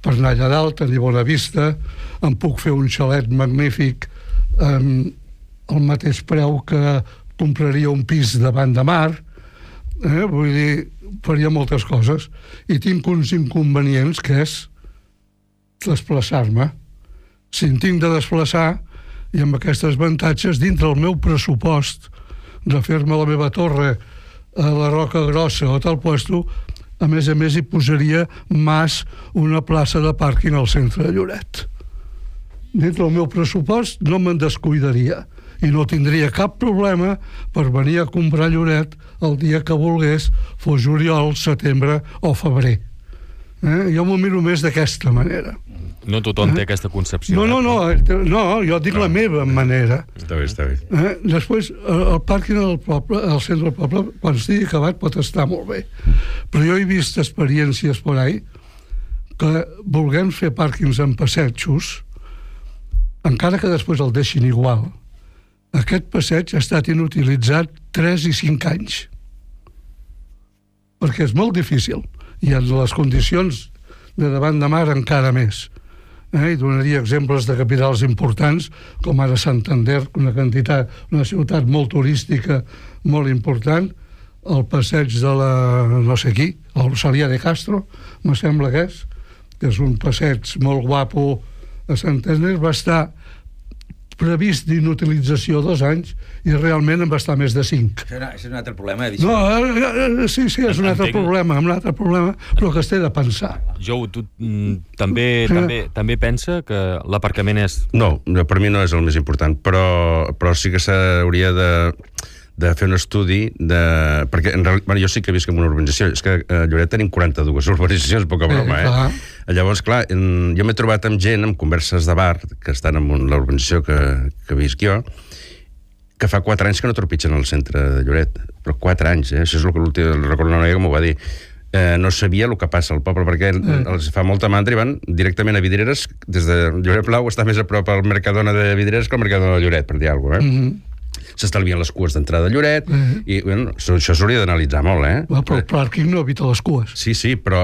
Per anar allà dalt, tenir bona vista, em puc fer un xalet magnífic al mateix preu que compraria un pis davant de mar, Vull dir, faria moltes coses. I tinc uns inconvenients, que és desplaçar-me. Si em tinc de desplaçar, i amb aquests avantatges, dintre el meu pressupost de fer-me la meva torre a la Roca Grossa o tal puesto, a més hi posaria una plaça de pàrquing al centre de Lloret. Dintre el meu pressupost no me'n descuidaria i no tindria cap problema per venir a comprar Lloret el dia que volgués, fos juliol, setembre o febrer. Jo m'ho miro més d'aquesta manera. No tothom té aquesta concepció. No, jo dic la meva manera. Està bé. Després, el pàrquing al poble, al centre del poble, quan estigui acabat pot estar molt bé. Però jo he vist experiències por ahí que volguem fer pàrquings en passetjos, encara que després el deixin igual, aquest passeig ha estat inutilitzat 3 i 5 anys. Perquè és molt difícil. I en les condicions de davant de mar encara més. I donaria exemples de capitals importants, com ara Santander, una ciutat molt turística, molt important, el passeig de la no sé qui, el Rosalía de Castro, me sembla que és un passeig molt guapo a Santander, va estar previst d'inutilització 2 anys i realment en va estar més de 5. Això és un altre problema. Sí, és un altre problema, però que es té de pensar. Jo, tu també pensa que l'aparcament és... No, per mi no és el més important, però sí que s'hauria de fer un estudi perquè en realitat, jo sí que visc en una urbanització, és que a Lloret tenim 42 urbanitzacions, poca broma, Llavors, clar, jo m'he trobat amb gent, amb converses de bar, que estan en la urbanització que visc jo, que fa 4 anys que no tropitgen al centre de Lloret, però 4 anys, això és el que l'últim, recordo una noia que m'ho va dir, no sabia el que passa al poble, perquè els fa molta mandra i van directament a Vidreres, des de Lloret Blau està més a prop al Mercadona de Vidreres que al Mercadona de Lloret, per dir alguna cosa, s'estalvien les cues d'entrada a Lloret i això s'hauria d'analitzar molt, Però el pàrquing no evita les cues. Sí, però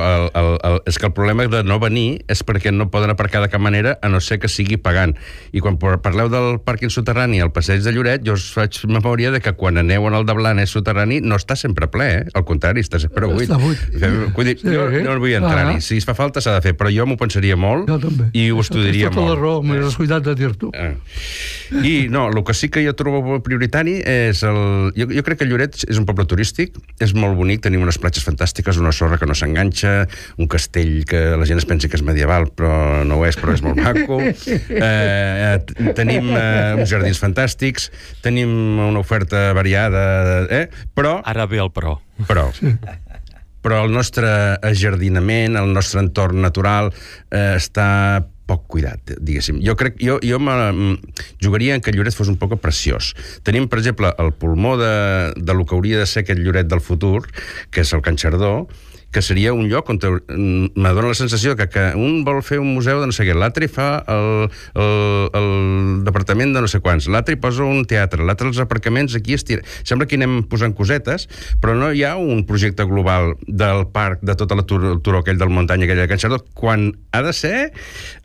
és que el problema de no venir és perquè no poden aparcar de cap manera a no ser que sigui pagant. I quan parleu del pàrquing soterrani al passeig de Lloret, jo us faig memòria de que quan aneu en el de Blanes soterrani no està sempre ple, al contrari, està sempre buit. Vull dir, jo no vull entrar-hi. Si es fa falta s'ha de fer, però jo m'ho pensaria molt i ho estudiaria molt. Tota la raó, m'he descuidat de dir-t'ho. I no, el que sí que jo trobo prioritari és jo crec que Lloret és un poble turístic, és molt bonic, tenim unes platges fantàstiques, una sorra que no s'enganxa, un castell que la gent es pensi que és medieval, però no ho és, però és molt maco. Tenim uns jardins fantàstics, tenim una oferta variada, però... Ara ve el però. Però el nostre ajardinament, el nostre entorn natural està poc cuidat, diguéssim. Jo jugaria en que Lloret fos un poc preciós. Tenim, per exemple, el pulmó de lo que hauria de ser aquest Lloret del futur, que és el Can Xardó, que seria un lloc on me dóna la sensació que un vol fer un museu de no sé què, l'altre fa el departament de no sé quants, l'altre hi posa un teatre, l'altre els aparcaments aquí estira. Sembla que anem posant cosetes, però no hi ha un projecte global del parc, de tota la turó aquell del muntanya, aquella de Can Xardó, quan ha de ser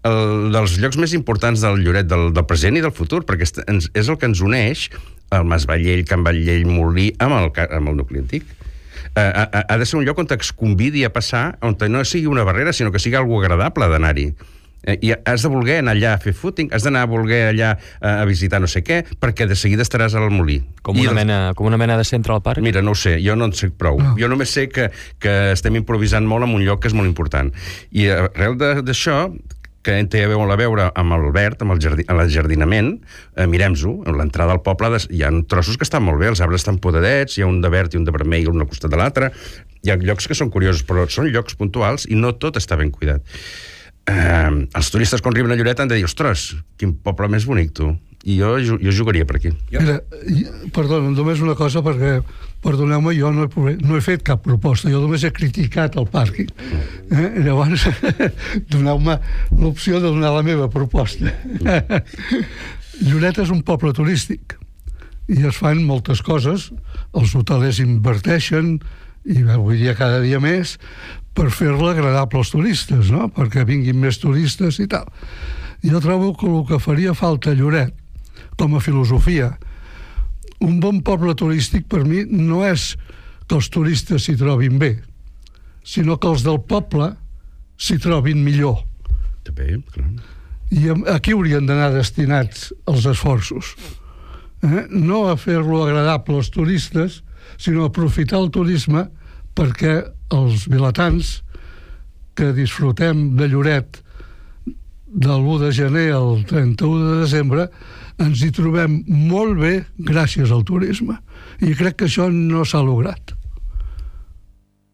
dels llocs més importants del Lloret, del present i del futur, perquè és el que ens uneix el Mas Vallell, Can Vallell, Molí, amb el nucli antic. Ha de ser un lloc on es convidi a passar, on no sigui una barrera, sinó que sigui algo agradable d'anar-hi. I has de voler anar allà a fer footing, has d'anar a voler allà a visitar no sé què, perquè de seguida estaràs al Molí. Com una mena de centre al parc? Mira, no ho sé, jo no en sé prou. Jo només sé que estem improvisant molt en un lloc que és molt important. I arrel d'això, que té molt a veure amb el verd, amb l'enjardinament, mirem-ho, a l'entrada al poble hi ha trossos que estan molt bé, els arbres estan podadets, hi ha un de verd i un de vermell, un al costat de l'altre, hi ha llocs que són curiosos, però són llocs puntuals i no tot està ben cuidat. Els turistes quan arriben a Lloret han de dir, ostres, quin poble més bonic, tu. I jo jugaria per aquí. Mira, perdona, només una cosa, perquè, perdoneu-me, jo no he fet cap proposta, jo només he criticat el pàrquing. Llavors, doneu-me l'opció de donar la meva proposta. Lloret és un poble turístic i es fan moltes coses, els hotelers inverteixen, i avui dia cada dia més, per fer-la agradable als turistes, no? Perquè vinguin més turistes i tal. Jo trobo que el que faria falta a Lloret, com a filosofia, un bon poble turístic per mi no és que els turistes s'hi trobin bé, sinó que els del poble s'hi trobin millor. També, clar. I aquí haurien d'anar destinats els esforços. No a fer-lo agradable als turistes, sinó a aprofitar el turisme perquè els vilatans que disfrutem de Lloret del 1 de gener al 31 de desembre ens hi trobem molt bé gràcies al turisme. I crec que això no s'ha lograt.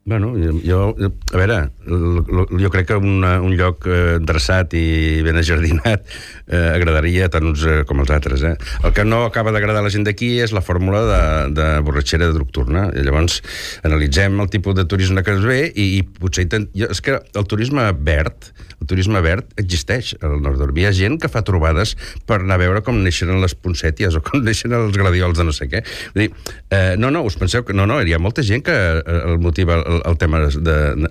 Bueno, a veure, jo crec que un lloc dreçat i ben ajardinat agradaria tant uns com els altres. El que no acaba d'agradar a la gent d'aquí és la fórmula de borratxera nocturna. I llavors analitzem el tipus de turisme que es ve i potser és que el turisme verd existeix al nord d'Orbi. Hi ha gent que fa trobades per anar a veure com neixen les poncèties o com neixen els gladiols de no sé què. Vull dir, us penseu que... No, hi ha molta gent que el motiva el tema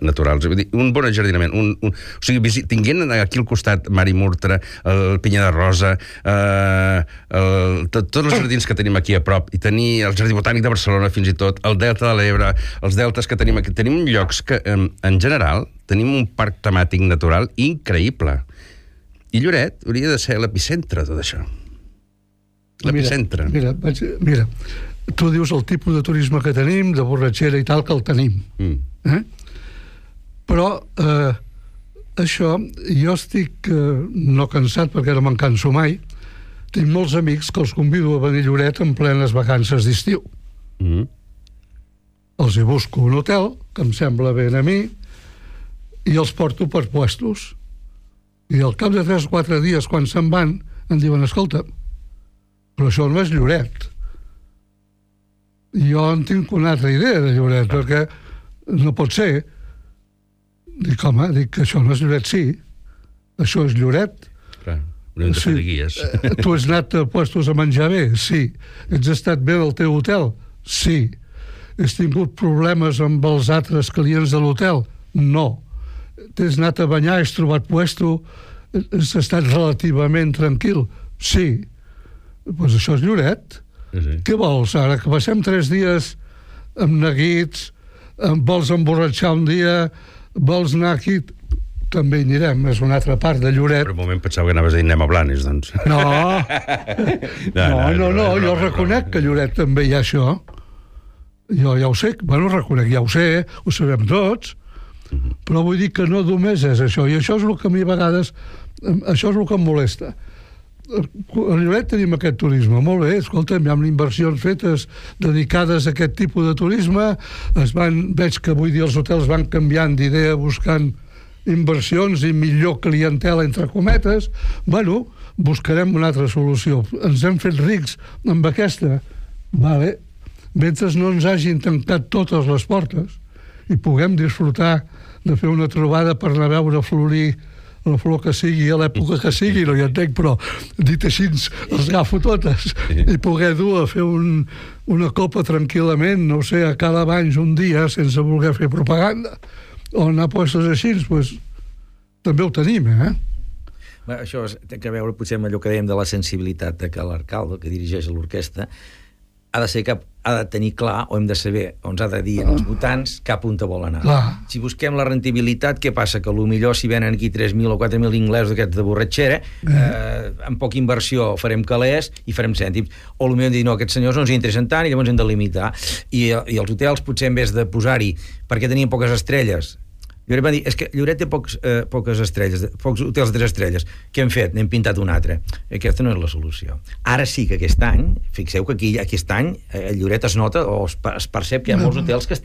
naturals. Vull dir, un bon ajardinament. O sigui, tinguent aquí al costat Mari Murtra, el Pinya de Rosa, tots els jardins que tenim aquí a prop, i tenir el Jardí Botànic de Barcelona fins i tot, el Delta de l'Ebre, els deltes que tenim aquí. Tenim llocs que, en general, tenim un parc temàtic natural increïble. I Lloret hauria de ser l'epicentre de tot això. L'epicentre. Mira, tu dius el tipus de turisme que tenim, de borratxera i tal, que el tenim. Però això, jo estic no cansat, perquè no me'n canso mai, tinc molts amics que els convido a venir a Lloret en plenes vacances d'estiu. Els hi busco un hotel, que em sembla ben a mi, i els porto per puestos. I al cap de 3 o 4 dies, quan se'n van, em diuen, escolta, però això no és Lloret. Jo en tinc una altra idea de Lloret, perquè no pot ser. Dic, home, que això no és Lloret, sí. Això és Lloret. Clar, hauríem de fer de guies. Tu has anat a puestos a menjar bé? Sí. Ets estat bé al teu hotel? Sí. Has tingut problemes amb els altres clients de l'hotel? No. T'has anat a banyar, has trobat puesto, has estat relativament tranquil? Sí. Doncs això és Lloret. Sí. Què vols ara? Que passem 3 dies amb neguits, vols emborratxar un dia, vols anar aquí... També hi anirem, és una altra part de Lloret. Per un moment pensava que anaves a dir anem a Blanes, doncs. No, jo reconec que a Lloret també hi ha això. Jo ja ho sé, reconec, ja ho sé, ho sabem tots, però vull dir que no només és això, i això és el que a mi a vegades, això és el que em molesta. A Lloret tenim aquest turisme, molt bé, escolta'm, hi ha inversions fetes dedicades a aquest tipus de turisme, veig que avui dia els hotels van canviant d'idea buscant inversions i millor clientela, entre cometes. Buscarem una altra solució. Ens hem fet rics amb aquesta. Vale. Mentre no ens hagin tancat totes les portes i puguem disfrutar de fer una trobada per anar a veure florir la flor que sigui a l'època que sigui, no hi entenc, però dit així els agafo totes, i poder dur a fer una copa tranquil·lament, no sé, a Cala Banys un dia sense voler fer propaganda, o anar a puestos així, doncs també ho tenim, Això té a veure potser amb allò que dèiem de la sensibilitat de que l'alcalde que dirigeix l'orquestra ha de tenir clar, o hem de saber, o ens ha de dir als votants cap on vol anar. Si busquem la rendibilitat, què passa? Que potser si venen aquí 3.000 o 4.000 inglesos d'aquests de borratxera, amb poca inversió farem calés i farem cèntims. O potser hem de dir, no, aquests senyors no ens interessen tant i llavors hem de limitar. I els hotels potser en vez de posar-hi perquè tenien poques estrelles, Lloret va dir, és que Lloret té poques estrelles, pocs hotels de 3 estrelles. Què hem fet? N'hem pintat un altre. Aquesta no és la solució. Ara sí que aquest any, fixeu que aquest any a Lloret es nota o es percep que hi ha molts hotels que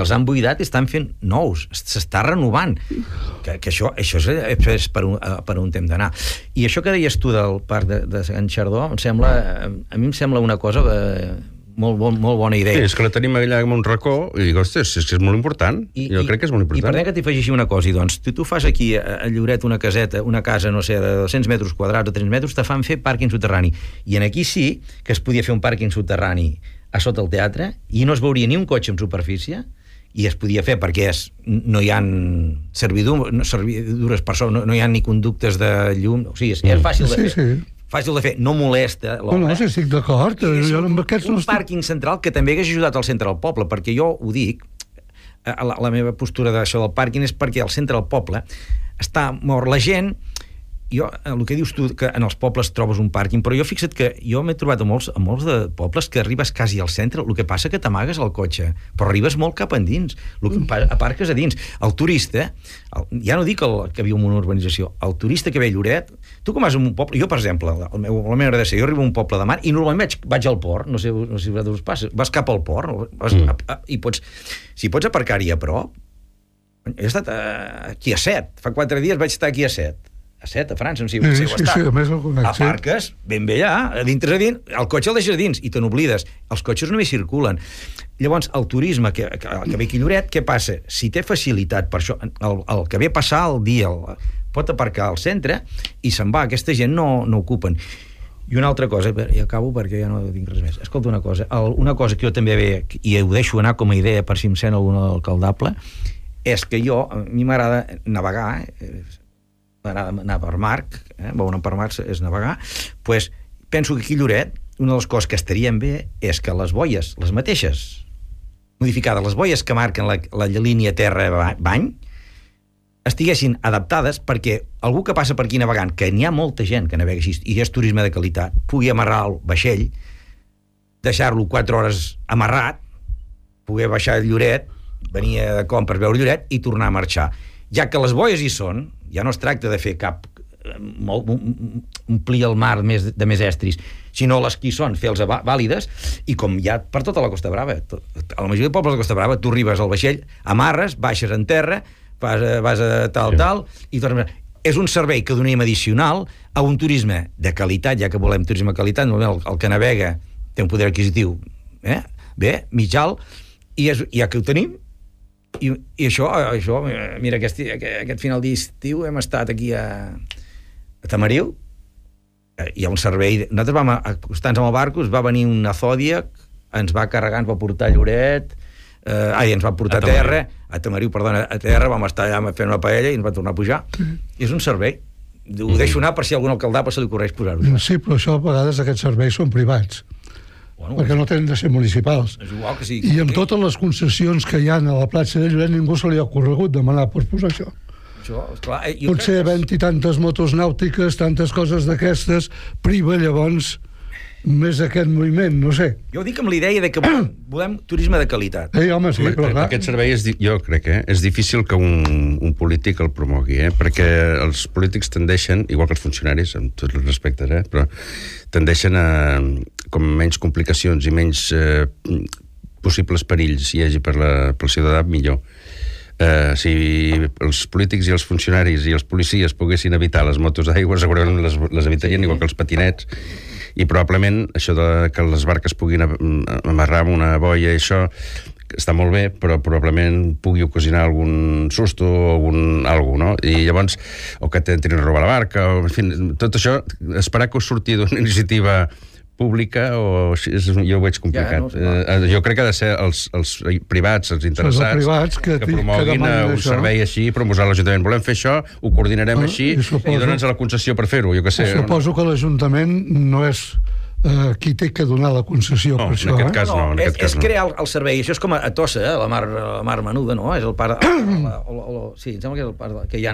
els han buidat i estan fent nous, s'està renovant. Que això és per on hem d'anar. I això que deies tu del parc de Sant Xardó, a mi em sembla una cosa molt bona idea. Sí, és que la tenim allà en un racó i dic, ostres, és que és molt important. Jo crec que és molt important. I per que t'hi afegeixi una cosa, doncs, tu fas aquí a Lloret una casa, no sé, de 200 metres quadrats o 3 metres, te fan fer pàrquing subterrani. I en aquí sí que es podia fer un pàrquing subterrani a sota el teatre i no es veuria ni un cotxe en superfície i es podia fer perquè no hi ha servidures per sobre, no hi ha ni conductes de llum, o sigui, és fàcil de fer. fàcil de fer, no molesta l'obra. No, sí, estic d'acord. Un pàrquing central que també hagués ajudat al centre del poble, perquè jo ho dic, la meva postura d'això del pàrquing és perquè al centre del poble està mort la gent. Jo, el que dius tu, que en els pobles trobes un pàrquing, però jo fixa't que jo m'he trobat a molts de pobles que arribes quasi al centre, el que passa que t'amagues al cotxe, però arribes molt cap endins, aparques a dins. El turista, ja no dic el que viu en una urbanització, el turista que ve a Lloret, tu com vas a un poble, jo per exemple, la meva manera de ser, jo arribo a un poble de mar i normalment vaig al port, no sé si a vosaltres us passa, vas cap al port, i si pots aparcar-hi a prop. He estat aquí a 7, fa 4 dies vaig estar aquí a 7, a França, no sé si ho està. Sí, a més el conec. Aparques, ben bé allà, a dintre, el cotxe el deixes a dins i te n'oblides. Els cotxes només circulen. Llavors, el turisme que ve aquí a Lloret, què passa? Si té facilitat per això, el que ve a passar el dia pot aparcar al centre i se'n va, aquesta gent no ocupen. I una altra cosa, i acabo perquè ja no tinc res més. Escolta una cosa que jo també ve, i ho deixo anar com a idea per si em sent alguna alcaldable, és que a mi m'agrada navegar, m'agrada anar per mar, veure per mar és navegar, doncs penso que aquí a Lloret una de les coses que estarien bé és que les boies, les mateixes, modificades, les boies que marquen la línia terra-bany, estiguessin adaptades perquè algú que passa per aquí navegant, que n'hi ha molta gent que navega així, i és turisme de qualitat, pugui amarrar el vaixell, deixar-lo 4 hores amarrat, poder baixar a Lloret, venir de compres, veure Lloret i tornar a marxar. Ja que les boies hi són, ja no es tracta de fer omplir el mar de més estris, sinó les que hi són, fer-les vàlides, i com hi ha per tota la Costa Brava, a la majoria de pobles de la Costa Brava, tu arribes al vaixell, amarres, baixes en terra, vas a tal, i tornes. És un servei que donem addicional a un turisme de qualitat, ja que volem turisme de qualitat, el que navega té un poder adquisitiu bé, mig alt, i ja que ho tenim, i això, mira, aquest final d'estiu hem estat aquí a Tamariu, hi ha un servei, nosaltres vam acostar-nos amb el barco, va venir una Zodiac, ens va carregar, ens va portar a Lloret, ens va portar a terra, a terra, vam estar allà fent una paella i ens va tornar a pujar. És un servei, ho deixo anar per si algun alcaldable se li ocorreix posar-ho. Sí, però això a vegades aquests serveis són privats, perquè no tenen de ser municipals. És igual que sigui. I amb totes les concessions que hi ha a la platja de Lloret ningú se li ha ocorregut demanar per posar això. Potser havent-hi tantes motos nàutiques, tantes coses d'aquestes, priva llavors més aquest moviment, no sé. Jo ho dic amb la idea de que volem turisme de qualitat. Home, sí, però clar. Aquest servei, jo crec, és difícil que un polític el promogui, perquè els polítics tendeixen, igual que els funcionaris, amb tots els respectes, però tendeixen a com menys complicacions i menys possibles perills hi hagi pel ciutadà, millor. Si els polítics i els funcionaris i els policies poguessin evitar les motos d'aigua, segurament les evitarien, igual que els patinets, i probablement això que les barques puguin amarrar amb una boia, això està molt bé, però probablement pugui ocasionar algun susto o alguna cosa, no? I llavors, o que t'entrin a robar la barca, o, en fi, tot això, esperar que us surti d'una iniciativa pública, jo ho veig complicat. Jo crec que ha de ser els privats, els interessats, que promoguin un servei així, promoure l'Ajuntament. Volem fer això, ho coordinarem així, i dona'ns la concessió per fer-ho, jo què sé. Suposo que l'Ajuntament no és qui té que donar la concessió per això. En aquest cas no. És crear el servei. Això és com a Tossa, la mar menuda, no? És el parc... Sí, em sembla que és el parc que hi ha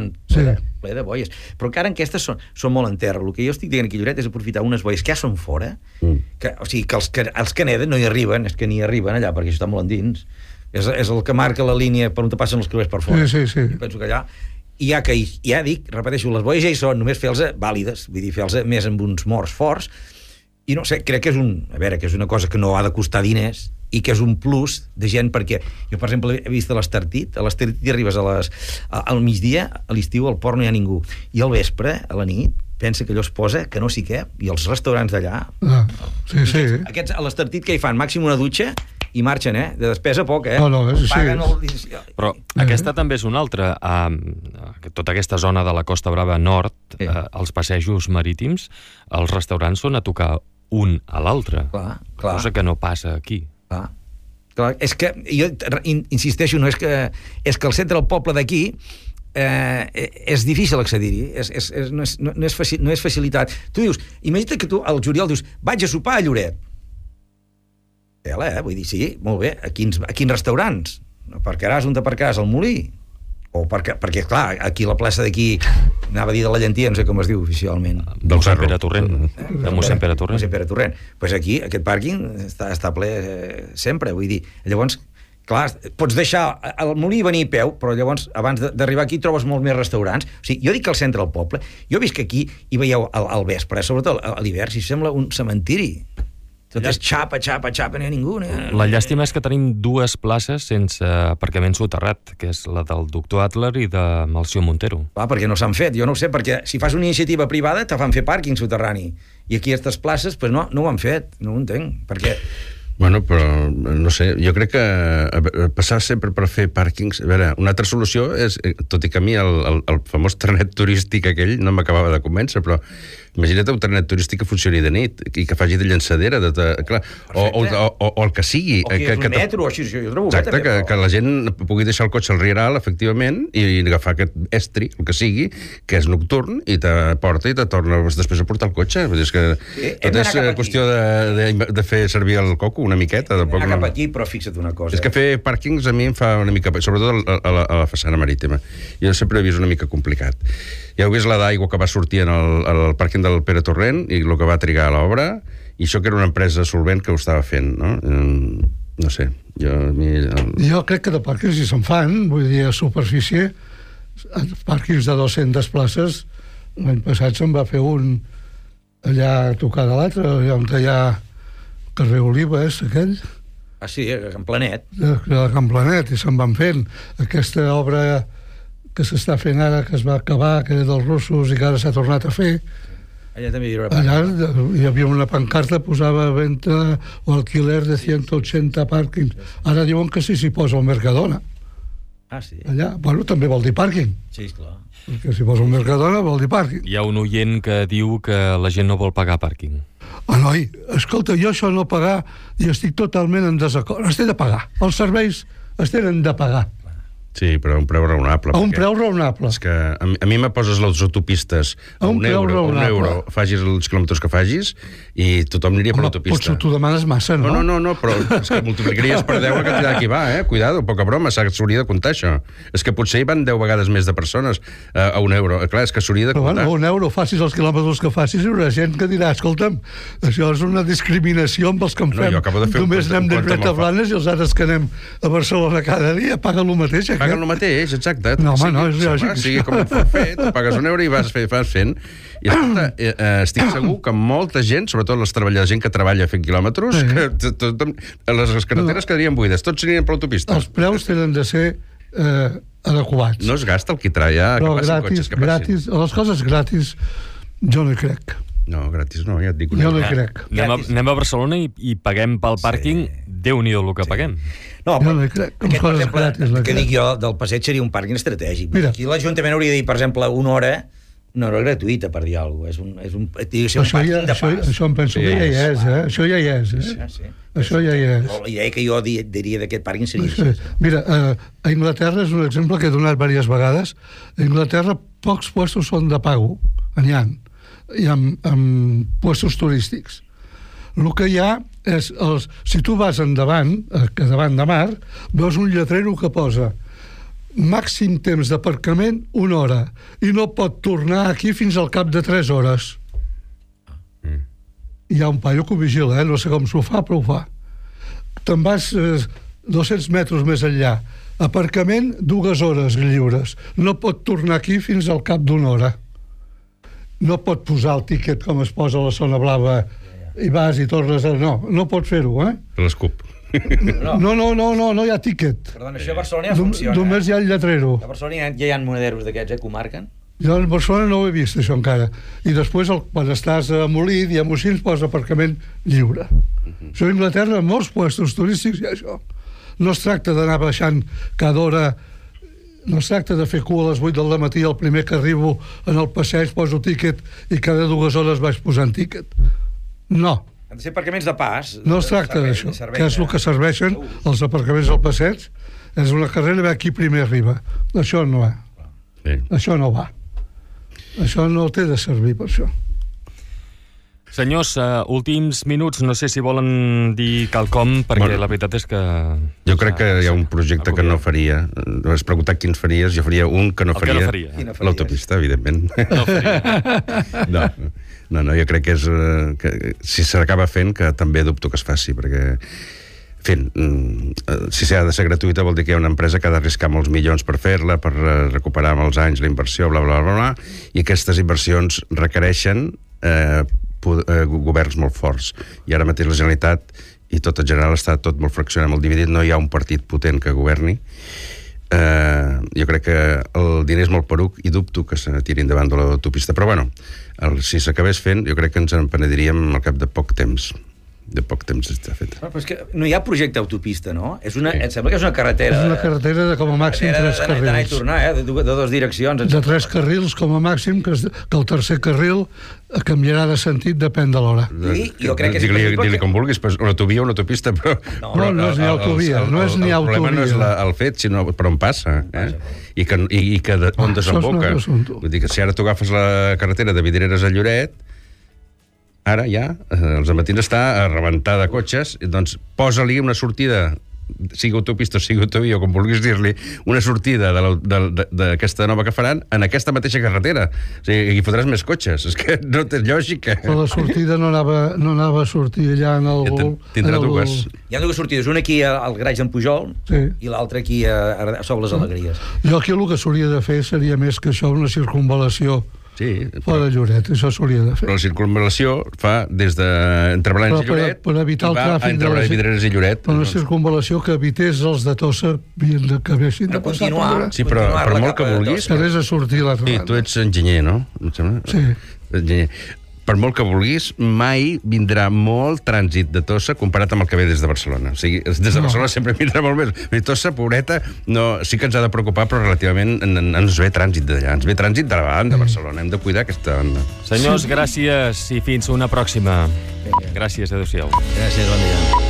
ple de boies. Però encara aquestes són molt en terra. El que jo estic dient aquí a Lloret és aprofitar unes boies que ja són fora, o sigui, que els que neden no hi arriben, és que ni arriben allà, perquè això està molt endins. És el que marca la línia per on te passen els creuers per fora. Sí. I penso que allà... I ja dic, repeteixo, les boies ja hi són, només fer-les vàlides, vull dir, fer-les més amb uns morts forts. I no sé, crec que és una cosa que no ha de costar diners i que és un plus de gent, perquè jo, per exemple, he vist a l'Estartit hi arribes al migdia, a l'estiu al port no hi ha ningú, i al vespre, a la nit, pensa que allò es posa, que no sé què, i els restaurants d'allà... Sí. Aquests, a l'Estartit, què hi fan? Màxim una dutxa i marxen, de despesa poc, Paguen Però aquesta també és una altra. Tota aquesta zona de la Costa Brava Nord, els passejos marítims, els restaurants són a tocar un a l'altre. Clar. Cosa que no passa aquí. Clar, és que jo insisteixo, no és que el centre del poble d'aquí és difícil accedir-hi, no és facilitat. Tu dius, imagina't que tu al juliol dius, vaig a sopar a Lloret. Vull dir, sí, molt bé, a quins restaurants? Aparcaràs on t'aparcaràs, al Molí? O perquè, clar, aquí la plaça d'aquí, anava a dir de la Llentia, no sé com es diu oficialment. Del Sant Pere Torrent. De mossèn Pere Torrent. Mossèn Pere Torrent. Pues aquí, aquest pàrquing està ple sempre, vull dir. Llavors, clar, pots deixar el Molí i venir a peu, però llavors, abans d'arribar aquí, trobes molts més restaurants. O sigui, jo dic que al centre del poble, jo visc aquí i veieu al vespre, sobretot a l'hivern, si sembla un cementiri. Tot és xapa, no hi ha ningú. La llàstima és que tenim dues places sense aparcament soterrat, que és la del doctor Adler i de Melcior Montero. Clar, perquè no s'han fet, jo no ho sé, perquè si fas una iniciativa privada te fan fer pàrquing soterrani, i aquí aquestes places pues no ho han fet, no ho entenc, perquè... Bueno, però, no sé, jo crec que passar sempre per fer pàrquings... A veure, una altra solució és, tot i que a mi el famós trenet turístic aquell no m'acabava de convèncer, però imagina't un trenet turístic que funcioni de nit i que faci de llançadera, clar, o el que sigui. O que és un metro, o així, jo trobo exacte, bé, però... que la gent pugui deixar el cotxe al Rieral, efectivament, i agafar aquest estri, el que sigui, que és nocturn, i te porta i te torna després a portar el cotxe. Vull dir, és que tot és qüestió de fer servir el coco una miqueta. Anar cap aquí, però fixa't una cosa. És que fer pàrquings a mi em fa una mica... Sobretot a la façana marítima. Jo sempre he vist una mica complicat. Ja heu vist la d'aigua que va sortir al pàrquing del Pere Torrent i el que va trigar a l'obra, i això que era una empresa solvent que ho estava fent, no? No sé, Jo crec que de pàrquings si se'n fan, vull dir, a superfície, pàrquings de 200 places, l'any passat se'n va fer un allà a tocar de l'altre, allà on hi ha carrer Olives, aquell. Ah, sí, a Can Planet. A Can Planet, i se'n van fent. Aquesta obra que s'està fent ara, que es va acabar, que era dels russos i que ara s'ha tornat a fer. Allà també hi havia una pancarta, posava a venda o alquiler de 180 pàrquings. Ara diuen que sí s'hi posa el Mercadona. Ah, sí? Allà, bueno, també vol dir pàrquing. Sí, esclar. Perquè si posa un Mercadona vol dir pàrquing. Hi ha un oient que diu que la gent no vol pagar pàrquing. Noi, escolta, jo això no pagar i estic totalment en desacord. Es té de pagar. Els serveis es tenen de pagar. Sí, però a un preu raonable. A un preu raonable. És que a mi me poses les autopistes a un euro, facis els quilòmetres que facis, i tothom aniria per l'autopista. Potser tu demanes massa, no? No, però és que multiplicaries per 10 la quantitat que hi va, Cuidado, poca broma, s'hauria de comptar això. És que potser hi van 10 vegades més de persones a un euro. Clar, és que s'hauria de comptar. Bueno, un euro, facis els quilòmetres que facis, hi haurà gent que dirà, escolta'm, això és una discriminació amb els que en fem. Només anem de Dret a Blanes i els altres que anem a Barcelona cada dia paguen el mateix. Paguen el mateix, exacte. No, home, no, és lògic. Sigui com ho fet, pagues un euro i vas fent. I escolta, estic segur que molta gent, sobretot la gent que treballa fent quilòmetres, que les carreteres quedarien buides, tots anirien per l'autopista. Els preus tenen de ser adequats. No es gasta el quitrà, ja, que passin cotxes, que passin. Les coses gratis, jo no hi crec. No, gratis no, ja et dic. Jo no hi crec. Anem a Barcelona i paguem pel pàrquing, Déu-n'hi-do el que paguem. No, jo no hi crec. Que dic jo, del passeig seria un pàrquing estratègic. Mira. Aquí l'Ajuntament hauria de dir, per exemple, una hora gratuïta, per dir alguna cosa. Això em penso que ja hi és, Això ja hi és, Això ja hi és. La idea que jo diria d'aquest pàrquing seria això. Mira, a Inglaterra és un exemple que he donat diverses vegades. A Inglaterra pocs puestos són de pago, n'hi ha, i amb puestos turístics. El que hi ha és, si tu vas endavant, que davant de mar, veus un lletrero que posa màxim temps d'aparcament 1 hora i no pot tornar aquí fins al cap de 3 hores. Hi ha un paio que ho vigila, no sé com s'ho fa, però ho fa. Te'n vas 200 metres més enllà, aparcament 2 hores lliures, no pot tornar aquí fins al cap d'1 hora. No pot posar el tíquet com es posa a la zona blava i vas i tornes a... No pot fer-ho, L'escup. No hi ha tíquet. Perdona, això a Barcelona ja funciona. Només hi ha el lletrero. A Barcelona ja hi ha monederos d'aquests, que ho marquen? Jo a Barcelona no ho he vist, això encara. I després, quan estàs a Molí, diguem-ho així, posa aparcament lliure. Això a Inglaterra, en molts puestos turístics hi ha això. No es tracta d'anar baixant cada hora. No es tracta de fer cua a les 8 del matí, el primer que arribo en el passeig poso tíquet i cada 2 hores vaig posant tíquet. No. Han de ser aparcaments de pas. No es tracta d'això, que és el que serveixen els aparcaments del passeig. És una carrera, qui primer arriba. Això no. Sí. Això no va. Això no té de servir per això. Senyors, últims minuts, no sé si volen dir quelcom, perquè la veritat és que... Jo crec que hi ha un projecte que no faria. Has preguntat quins faries, jo faria un que no faria. L'autopista, evidentment. No faria. No, jo crec que és... Que, si s'acaba fent, que també dubto que es faci, perquè... si s'ha de ser gratuïta vol dir que hi ha una empresa que ha d'arriscar molts milions per fer-la, per recuperar amb els anys la inversió, bla, bla, bla, bla, i aquestes inversions requereixen governs molt forts. I ara mateix la Generalitat i tot en general està tot molt fraccionat, molt dividit, no hi ha un partit potent que governi. Jo crec que el diner és molt poruc i dubto que se tiri endavant de l'autopista, però bueno, si s'acabés fent jo crec que ens en penediríem al cap de poc temps. De poc temps està fet. Però és que no hi ha projecte autopista, no? Em sembla que és una carretera... És una carretera de com a màxim 3 carrils. D'anar i tornar, de 2 direccions. De 3 carrils com a màxim, que el tercer carril canviarà de sentit, depèn de l'hora. Sí, jo crec que és Digue-li com vulguis, una autovia o una autopista, però... No és ni autovia, no és ni autovia. El problema no és el fet, sinó per on passa, i on desemboca. Vull dir que si ara tu agafes la carretera de Vidreres a Lloret, ara ja, els matins està a rebentar de cotxes, doncs posa-li una sortida, sigui autopista o sigui autovia, o com vulguis dir-li, una sortida d'aquesta nova que faran en aquesta mateixa carretera. O sigui, hi fotràs més cotxes. És que no té lògica. Però la sortida no anava a sortir allà en el... Tindrà dues. Hi ha 2 sortides, una aquí al garatge d'en Pujol i l'altra aquí a Sol les Alegries. Jo aquí el que s'hauria de fer seria més que això, una circunvalació. Sí, fora de Lloret, això s'hauria de fer. Però la circunvalació fa des entre Blanes i Lloret per evitar el tràfic entre Vidreres i Lloret. Però una circunvalació que evités els de Tossa que haguessin de passar per allà. Sí, però per molt que vulguis... Que anés a sortir l'altra banda. Sí, tu ets enginyer, no? Em sembla? Sí. Enginyer. Per molt que vulguis, mai vindrà molt trànsit de Tossa comparat amb el que ve des de Barcelona. O sigui, des de Barcelona sempre vindrà molt més. Tossa, pobreta, sí que ens ha de preocupar, però relativament ens ve trànsit d'allà. Ens ve trànsit de la banda de Barcelona. Hem de cuidar aquesta banda. Senyors, gràcies i fins una pròxima. Gràcies, adéu-siau. Gràcies, bon dia.